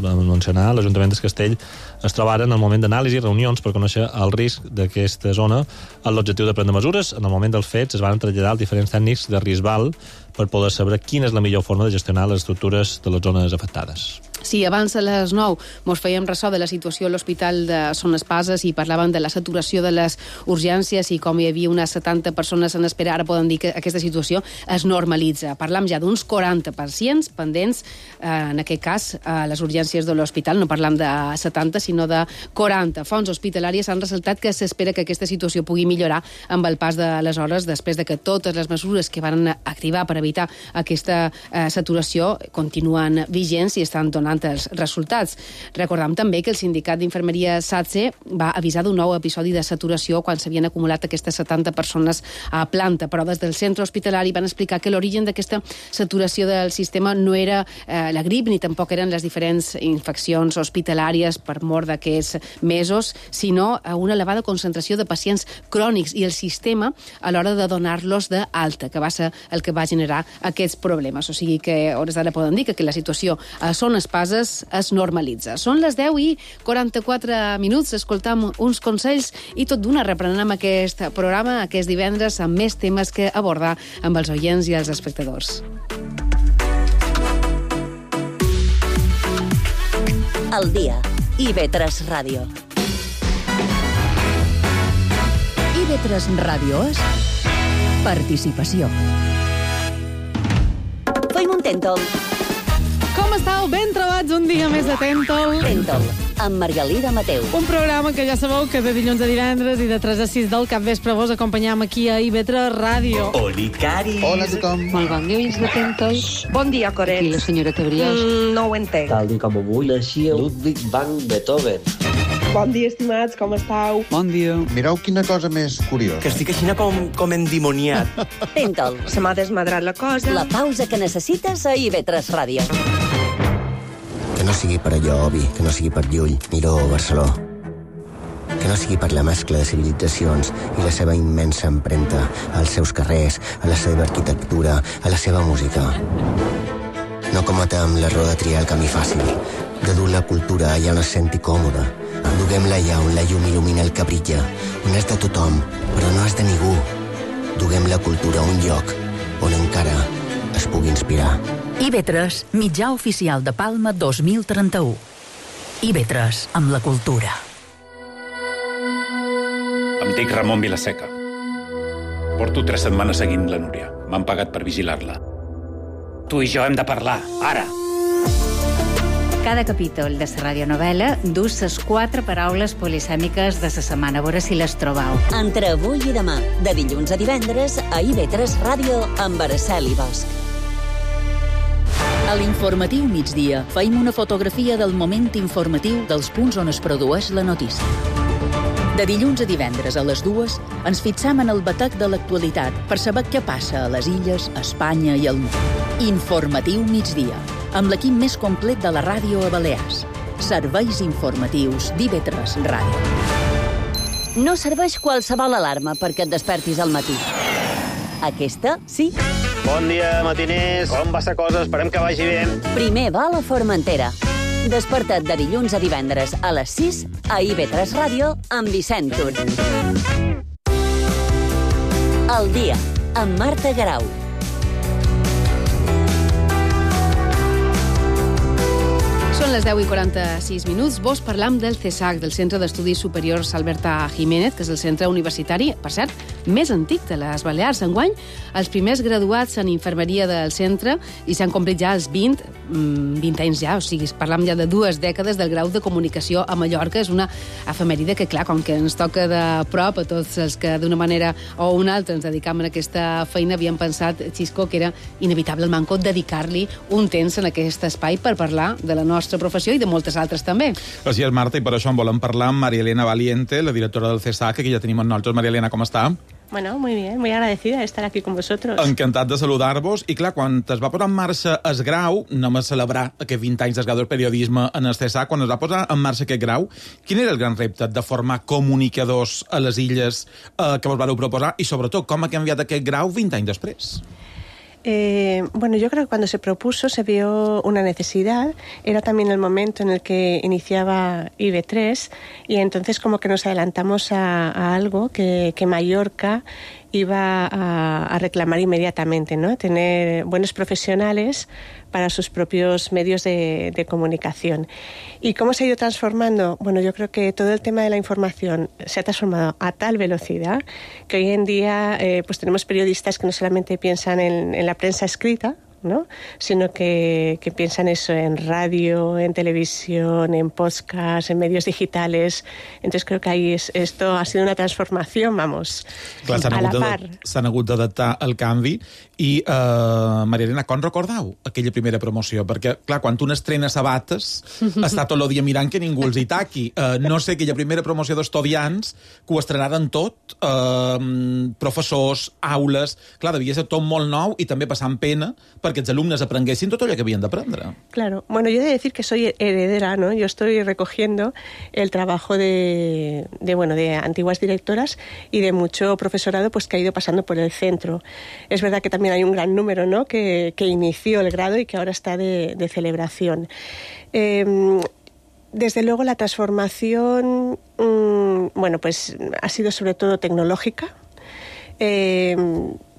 S6: mencionar, l'Ajuntament de Castell es troba ara en el moment d'anàlisi i reunions per conèixer el risc d'aquesta zona amb l'objectiu de prendre mesures. En el moment dels fets es van traslladar els diferents tècnics de Risbal per poder saber quina és la millor forma de gestionar les estructures de les zones afectades.
S5: Sí, abans a les 9 mos fèiem ressò de la situació a l'Hospital de Son Espases i parlàvem de la saturació de les urgències i com hi havia unes 70 persones en espera. Ara poden dir que aquesta situació es normalitza. Parlam ja d'uns 40 pacients pendents, en aquest cas, a les urgències de l'hospital. No parlam de 70, sinó de 40. Fonts hospitalàries han ressaltat que s'espera que aquesta situació pugui millorar amb el pas de les hores després de que totes les mesures que van activar per evitar aquesta saturació continuen vigents i estan donant els resultats. Recordam també que el sindicat d'infermeria SATSE va avisar d'un nou episodi de saturació quan s'havien acumulat aquestes 70 persones a planta, però des del centre hospitalari van explicar que l'origen d'aquesta saturació del sistema no era la grip ni tampoc eren les diferents infeccions hospitalàries per mort d'aquests mesos, sinó una elevada concentració de pacients crònics i el sistema a l'hora de donar-los d'alta, que va ser el que va generar aquests problemes. O sigui que, hores d'ara poden dir que la situació a Son Espases es normalitza. Són les 10 i 44 minuts, escoltam uns consells i tot d'una reprenem aquest programa aquest divendres amb més temes que abordar amb els oients i els espectadors.
S4: El dia. IB3 Ràdio.
S3: IB3 Ràdio és participació.
S4: Feim un tèntol.
S13: Com estàu? Ben trobats un dia més de Tèntol.
S4: Tèntol, amb Margalida Mateu.
S13: Un programa que ja sabeu que de dilluns a divendres i de 3 a 6 del capvespre vos acompanyam aquí a IB3 Ràdio.
S14: Oli, Cari.
S15: Hola a tothom.
S16: Molt bon dia, oients de Tèntol.
S17: Bon dia, Coret.
S16: Aquí la senyora Cabriós.
S17: No ho entenc.
S18: Tal dia com avui naixia Ludwig van Beethoven.
S17: Bon dia, estimats, com estàu?
S15: Bon dia. Mireu quina cosa més curiosa.
S14: Que estic així com endimoniat.
S4: Tèntol.
S17: Se m'ha desmadrat la cosa.
S4: La pausa que necessites a IB3 Ràdio.
S18: Que no sigui per allò, Obi, que no sigui per Llull, Miró o Barceló. Que no sigui per la mescla de civilitzacions i la seva immensa empremta als seus carrers, a la seva arquitectura, a la seva música. No cometem l'error de triar el camí fàcil, de dur la cultura allà on es senti còmoda. Duguem-la allà on la llum il·lumina el que brilla, on és de tothom, però no és de ningú. Duguem la cultura a un lloc on encara es pugui inspirar.
S11: IB3, mitjà oficial de Palma 2031. IB3, amb la cultura.
S8: Em dic Ramon Vilaseca. Porto 3 setmanes seguint la Núria. M'han pagat per vigilar-la. Tu i jo hem de parlar, ara!
S9: Cada capítol de la radionovel·la dus les 4 paraules polisèmiques de la setmana. A veure si les trobau.
S4: Entre avui i demà, de dilluns a divendres, a IB3 Ràdio amb Araceli Bosch.
S3: A l'informatiu migdia feim una fotografia del moment informatiu dels punts on es produeix la notícia. De dilluns a divendres a les 2 ens fixam en el batec de l'actualitat per saber què passa a les illes, a Espanya i al món. Informatiu migdia, amb l'equip més complet de la ràdio a Balears. Serveis informatius d'IB3 Ràdio.
S4: No serveix qualsevol alarma perquè et despertis al matí. Aquesta, sí.
S19: Bon dia, matiners. Com va la cosa? Esperem que vagi bé.
S4: Primer va a la Formentera. Desperta't de dilluns a divendres a les 6 a IB3 Ràdio amb Vicent Tur. El dia, amb Marta Garau.
S5: Són les 10 i 46 minuts. Vos parlam del CESAC, del Centre d'Estudis Superiors Alberta Jiménez, que és el centre universitari, per cert, més antic de les Balears. Enguany, els primers graduats en infermeria del centre i s'han complit ja els 20 anys ja, o sigui, parlam ja de 2 dècades del grau de comunicació a Mallorca. És una efemèride que, clar, com que ens toca de prop a tots els que d'una manera o una altra ens dedicam a aquesta feina, havíem pensat, Xisco, que era inevitable el manco dedicar-li un temps en aquest espai per parlar de la nostra nostra professió i de moltes altres també.
S20: Així és, Marta, i per això en volem parlar amb María Elena Valiente, la directora del CESAC, que ja tenim amb nosaltres. María Elena, com està?
S17: Bueno, muy bien, muy agradecida de estar aquí con vosotros.
S20: Encantat de saludar-vos. I clar, quan es va posar en marxa el grau, anem a celebrar aquests 20 anys del grau del periodisme en el CESAC, quan es va posar en marxa aquest grau, quin era el gran repte de formar comunicadors a les illes que vos vareu proposar i, sobretot, com ha canviat aquest grau 20 anys després?
S17: Bueno, yo creo que cuando se propuso se vio una necesidad, era también el momento en el que iniciaba IB3 y entonces como que nos adelantamos a algo que Mallorca iba a reclamar inmediatamente, ¿no? Tener buenos profesionales para sus propios medios de comunicación. ¿Y cómo se ha ido transformando? Bueno, yo creo que todo el tema de la información se ha transformado a tal velocidad que hoy en día pues tenemos periodistas que no solamente piensan en la prensa escrita, ¿no? Sino que piensan eso en radio, en televisión, en podcast, en medios digitales. Entonces creo que ahí esto ha sido una transformación, vamos,
S20: clar,
S17: a la par.
S20: S'han hagut d'adaptar al canvi. I, Maria Elena, com recordeu aquella primera promoció? Perquè, clar, quan tu n'estrenes sabates, està tot el dia mirant que ningú els hi taqui. No sé, aquella primera promoció d'estudiants, que ho estrenaren tot, professors, aules... Clar, devia ser tot molt nou i també passant pena perquè els alumnes aprenguessin tot allò que havien d'aprendre.
S17: Claro. Bueno, yo he de decir que soy heredera, ¿no? Yo estoy recogiendo el trabajo de antiguas directoras y de mucho profesorado pues que ha ido pasando por el centro. Es verdad que también hay un gran número, ¿no? que inició el grado y que ahora está de celebración. Desde luego la transformación bueno, pues ha sido sobre todo tecnológica.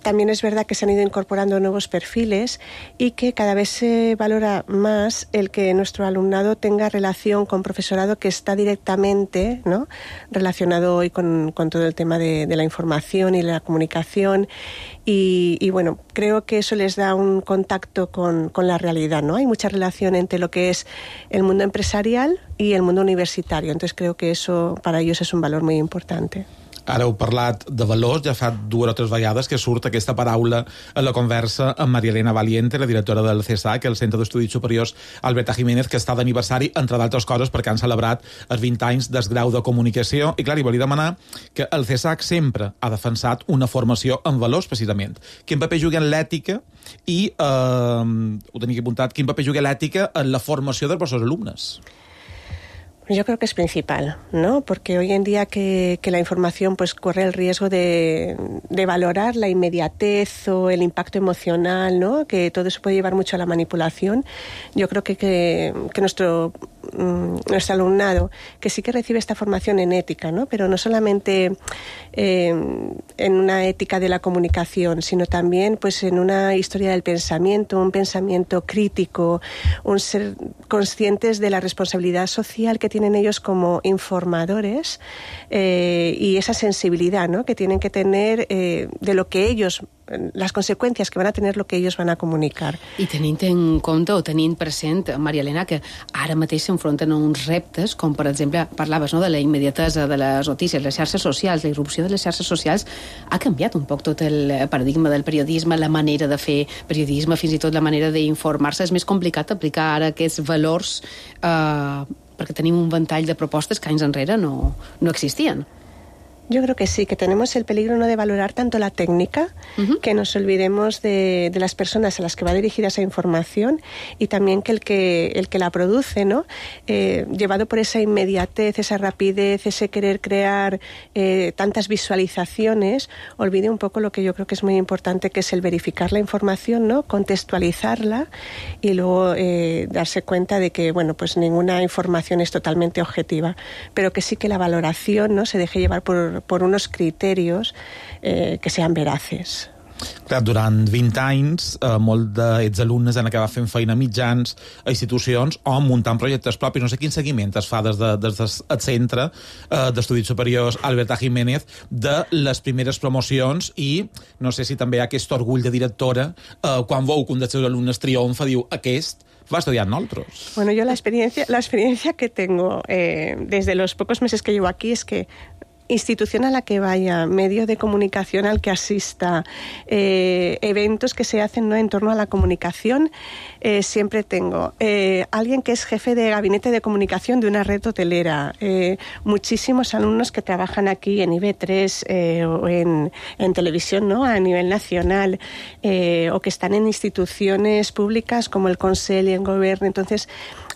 S17: También es verdad que se han ido incorporando nuevos perfiles y que cada vez se valora más el que nuestro alumnado tenga relación con profesorado que está directamente, ¿no? relacionado hoy con todo el tema de la información y la comunicación. Y bueno, creo que eso les da un contacto con la realidad, ¿no? Hay mucha relación entre lo que es el mundo empresarial y el mundo universitario. Entonces creo que eso para ellos es un valor muy importante.
S20: Ara heu parlat de valors, ja fa 2 o 3 vegades que surt aquesta paraula a la conversa amb Maria Elena Valiente, la directora del CESAC, el Centre d'Estudis Superiors Alberta Jiménez, que està d'aniversari, entre d'altres coses, perquè han celebrat els 20 anys del grau de comunicació. I clar, li volia demanar que el CESAC sempre ha defensat una formació en valors, precisament. Quin paper juga en l'ètica i, ho tenia apuntat, quin paper juga l'ètica en la formació dels vostres alumnes?
S17: Yo creo que es principal, ¿no? Porque hoy en día que la información pues corre el riesgo de valorar la inmediatez o el impacto emocional, ¿no? Que todo eso puede llevar mucho a la manipulación. Yo creo que nuestro alumnado, que sí que recibe esta formación en ética, ¿no? Pero no solamente en una ética de la comunicación, sino también pues en una historia del pensamiento, un pensamiento crítico, un ser conscientes de la responsabilidad social que tienen ellos como informadores y esa sensibilidad, ¿no? que tienen que tener de lo que ellos, les conseqüències que van a tenir lo que ells van a comunicar.
S5: I tenint en compte o tenint present, Maria Elena, que ara mateix s'enfronten a uns reptes, com per exemple, parlaves no, de la immediatesa de les notícies, les xarxes socials, la irrupció de les xarxes socials, ha canviat un poc tot el paradigma del periodisme, la manera de fer periodisme, fins i tot la manera d'informar-se. És més complicat aplicar ara aquests valors perquè tenim un ventall de propostes que anys enrere no existien.
S17: Yo creo que sí, que tenemos el peligro no de valorar tanto la técnica, que nos olvidemos de las personas a las que va dirigida esa información y también que el que la produce, ¿no? Llevado por esa inmediatez, esa rapidez, ese querer crear tantas visualizaciones, olvide un poco lo que yo creo que es muy importante, que es el verificar la información, ¿no? Contextualizarla y luego darse cuenta de que, bueno, pues ninguna información es totalmente objetiva, pero que sí que la valoración, ¿no? se deje llevar por unos criterios que sean veraces.
S20: Clar, durant 20 anys, molts d'aquests alumnes han acabat fent feina a mitjans, a institucions o muntant projectes propis. No sé quin seguiment es fa des del Centre d'Estudis Superiors Alberta Jiménez de les primeres promocions i no sé si també hi ha aquest orgull de directora quan veu que un dels seus alumnes triomfa, diu, aquest va estudiar en nosotros.
S17: Bueno, yo la experiencia que tengo desde los pocos meses que llevo aquí es que institución a la que vaya, medio de comunicación al que asista, eventos que se hacen, ¿no?, en torno a la comunicación, siempre tengo alguien que es jefe de gabinete de comunicación de una red hotelera, muchísimos alumnos que trabajan aquí en IB3 o en televisión, ¿no?, a nivel nacional, o que están en instituciones públicas como el Consell y el Govern. Entonces,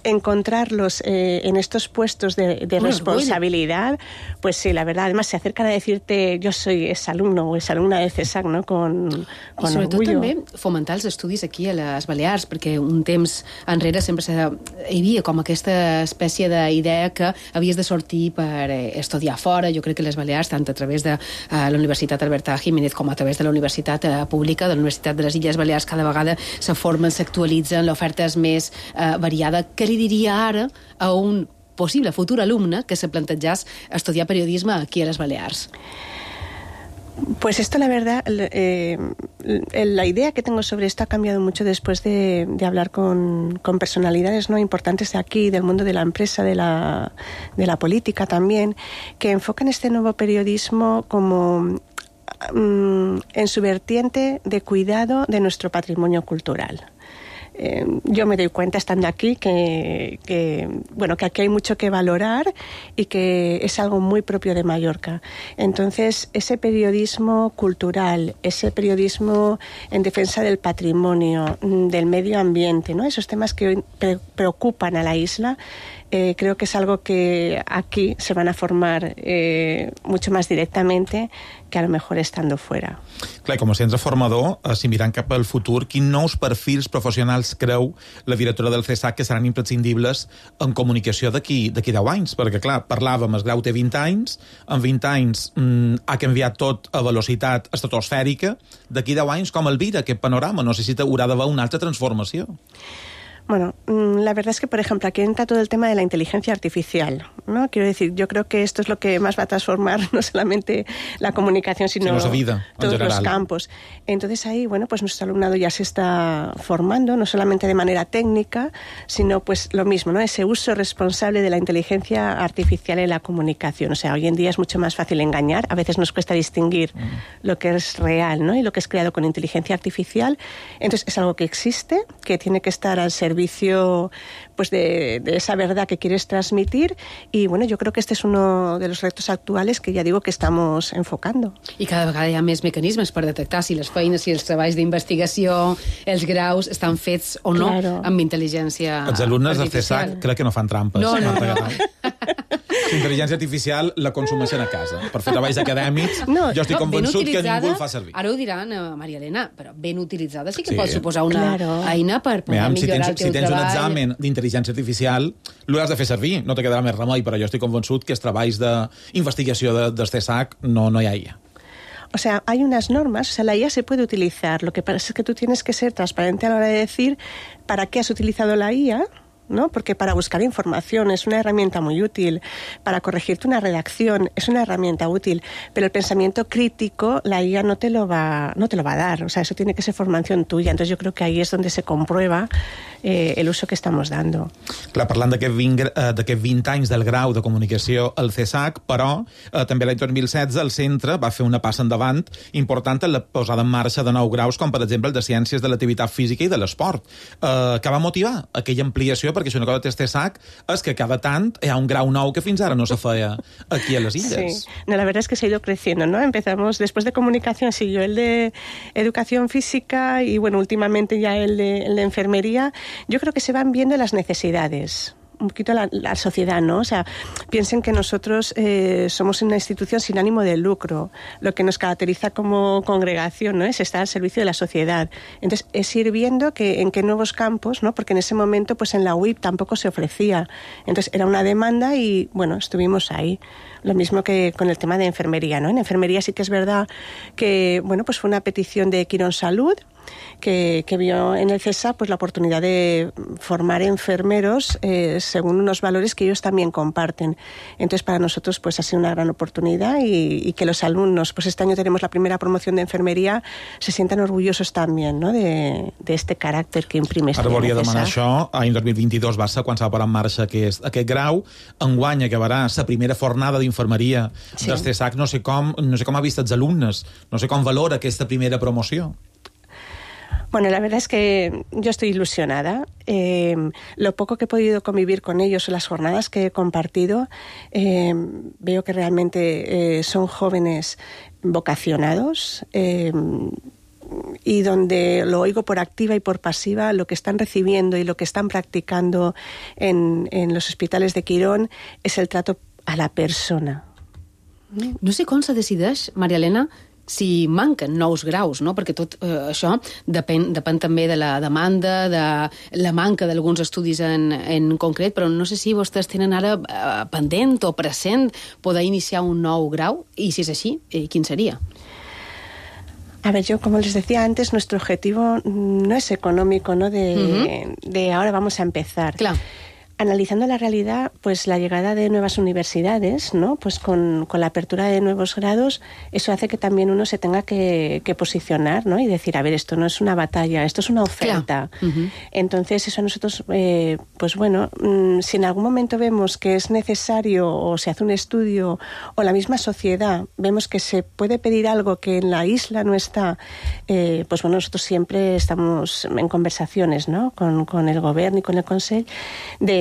S17: encontrarlos en estos puestos de responsabilidad, pues sí, la verdad, además se acercan a decirte yo soy exalumno o exalumna del CESAC, no? Con
S5: I sobretot
S17: orgullo.
S5: també fomentar els estudis aquí a les Balears, perquè un temps enrere sempre hi havia com aquesta espècie d'idea que havies de sortir per estudiar fora. Jo crec que les Balears, tant a través de la Universitat Alberta Jiménez com a través de la Universitat Pública, de la Universitat de les Illes Balears, cada vegada se formen, s'actualitzen, l'oferta és més variada. Què li diria ara a un possible futur alumne que se plantegés estudiar periodisme aquí a les Balears?
S17: Pues esto, la verdad, la idea que tengo sobre esto ha cambiado mucho después de hablar con personalidades, ¿no?, importantes de aquí, del mundo de la empresa, de la política también, que enfocan este nuevo periodismo como en su vertiente de cuidado de nuestro patrimonio cultural. Yo me doy cuenta estando aquí que aquí hay mucho que valorar y que es algo muy propio de Mallorca. Entonces, ese periodismo cultural, ese periodismo en defensa del patrimonio, del medio ambiente, ¿no?, esos temas que hoy preocupan a la isla, creo que es algo que aquí se van a formar mucho más directamente que a lo mejor estando fuera.
S20: Clar, com a centre formador, si mirant cap al futur, quins nous perfils professionals creu la directora del CESAC que seran imprescindibles en comunicació d'aquí 10 anys? Perquè, clar, parlàvem, el grau té 20 anys, en 20 anys ha canviat tot a velocitat estratosfèrica. D'aquí 10 anys, com el vira aquest panorama? No sé si haurà d'haver una altra transformació.
S17: Bueno, la verdad es que, por ejemplo, aquí entra todo el tema de la inteligencia artificial, ¿no? Quiero decir, yo creo que esto es lo que más va a transformar no solamente la comunicación, sino
S20: la vida,
S17: todos los campos. Entonces ahí, bueno, pues nuestro alumnado ya se está formando, no solamente de manera técnica, sino pues lo mismo, ¿no?, ese uso responsable de la inteligencia artificial en la comunicación. O sea, hoy en día es mucho más fácil engañar, a veces nos cuesta distinguir lo que es real, ¿no?, y lo que es creado con inteligencia artificial. Entonces es algo que existe, que tiene que estar al servicio pues de esa verdad que quieres transmitir, y bueno, yo creo que este es uno de los retos actuales que ya digo que estamos enfocando.
S5: I cada vegada hi ha més mecanismes per detectar si les feines, si els treballs d'investigació, els graus estan fets o no amb intel·ligència artificial.
S20: Els alumnes del CESAC crec que no fan trampes.
S5: No.
S20: Intel·ligència artificial la consumeixen a casa. Per fer treballs acadèmics, jo estic convençut que ningú el fa servir.
S5: Ara ho diran, Maria Elena, però ben utilitzada sí que pot suposar una eina per poder millorar el teu treball.
S20: Si tens un examen d'intel·ligència artificial, l'has de fer servir, no te quedarà més remei, però jo estic convençut que els treballs d'investigació del CESAC no hi ha IA.
S17: O sea, hay unas normas, o sea, la IA se puede utilizar, lo que pasa es que tú tienes que ser transparente a la hora de decir para qué has utilizado la IA, ¿no? Porque para buscar información es una herramienta muy útil, para corregirte una redacción es una herramienta útil, pero el pensamiento crítico la IA no te lo va a dar, o sea, eso tiene que ser formación tuya. Entonces yo creo que ahí es donde se comprueba el uso que estamos dando.
S20: Clar, parlant d'aquests 20 anys del grau de comunicació al CESAC, però també l'any 2016 el centre va fer una passa endavant important en la posada en marxa de nous graus, com per exemple el de Ciències de l'Activitat Física i de l'Esport, que va motivar aquella ampliació, perquè això una cosa que té CESAC és que cada tant hi ha un grau nou que fins ara no se feia aquí a les illes.
S17: Sí, no, la verdad es que se ha ido creciendo, ¿no? Empezamos, después de comunicación siguió el de educación física y bueno, últimamente ya el de enfermería. Yo creo que se van viendo las necesidades, un poquito la sociedad, ¿no? O sea, piensen que nosotros somos una institución sin ánimo de lucro. Lo que nos caracteriza como congregación, ¿no?, es estar al servicio de la sociedad. Entonces, es ir viendo en qué nuevos campos, ¿no? Porque en ese momento, pues en la UIP tampoco se ofrecía. Entonces, era una demanda y, bueno, estuvimos ahí. Lo mismo que con el tema de enfermería, ¿no? En enfermería sí que es verdad que, bueno, pues fue una petición de Quirón Salud, que vio en el CESAC pues la oportunidad de formar enfermeros según unos valores que ellos también comparten. Entonces para nosotros pues ha sido una gran oportunidad y que los alumnos, pues este año tenemos la primera promoción de enfermería, se sientan orgullosos también, ¿no?, de este carácter que imprime este.
S20: Ara volia demanar això. L'any 2022 va ser quan s'ha posat en marxa aquest grau. Enguany acabarà la primera fornada d'informació d'infermeria del CESAC, no sé com ha vist els alumnes, no sé com valora aquesta primera promoció.
S17: Bueno, la verdad es que yo estoy ilusionada. Lo poco que he podido convivir con ellos, las jornadas que he compartido, veo que realmente son jóvenes vocacionados, y donde lo oigo por activa y por pasiva, lo que están recibiendo y lo que están practicando en los hospitals de Quirón es el trato a la persona.
S5: No sé com se decideix, Maria Elena, si manquen nous graus, no? Perquè tot això depèn també de la demanda, de la manca d'alguns estudis en concret, però no sé si vostès tenen ara pendent o present poder iniciar un nou grau, i si és així, quin seria?
S17: A ver, yo, como les decía antes, nuestro objetivo no es económico, ¿no? De ahora vamos a empezar.
S5: Claro.
S17: Analizando la realidad, pues la llegada de nuevas universidades, ¿no? Pues con la apertura de nuevos grados, eso hace que también uno se tenga que posicionar, ¿no? Y decir, a ver, esto no es una batalla, esto es una oferta.
S5: Claro.
S17: Entonces, eso a nosotros, pues bueno, si en algún momento vemos que es necesario o se hace un estudio o la misma sociedad vemos que se puede pedir algo que en la isla no está, pues bueno, nosotros siempre estamos en conversaciones, ¿no? Con el gobierno y con el Consell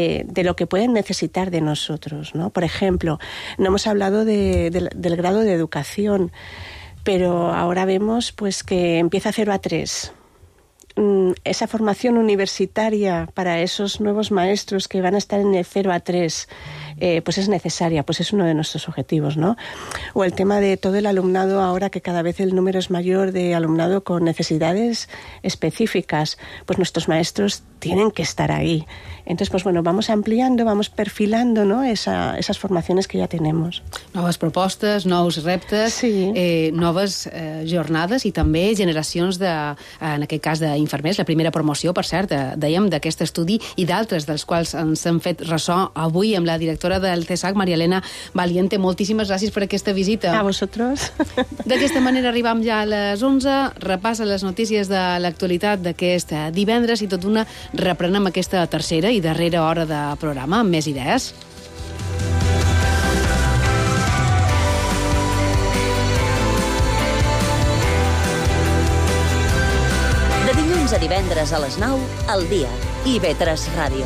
S17: de lo que pueden necesitar de nosotros, ¿no? Por ejemplo, no hemos hablado del grado de educación, pero ahora vemos pues que empieza 0 a 3. Esa formación universitaria para esos nuevos maestros que van a estar en el 0 a 3, pues es necesaria, pues es uno de nuestros objetivos, ¿no? O el tema de todo el alumnado, ahora que cada vez el número es mayor de alumnado con necesidades específicas, pues nuestros maestros tienen que estar ahí. Entonces, pues bueno, vamos ampliando, vamos perfilando, ¿no? Esas formaciones que ya tenemos.
S5: Noves propostes, nous reptes, noves jornades i també generacions en aquest cas d'infermers, la primera promoció, per cert, dèiem, d'aquest estudi i d'altres dels quals ens hem fet ressò avui amb la directora del CESAC, Maria Elena Valiente. Moltíssimes gràcies per aquesta visita.
S17: A vosaltres.
S5: D'aquesta manera arribam ja a les 11, repassa les notícies de l'actualitat d'aquest divendres i tot d'una reprenem aquesta tercera i darrera hora de programa amb més idees.
S4: De dilluns a divendres a les 9, al dia. IB3 Ràdio.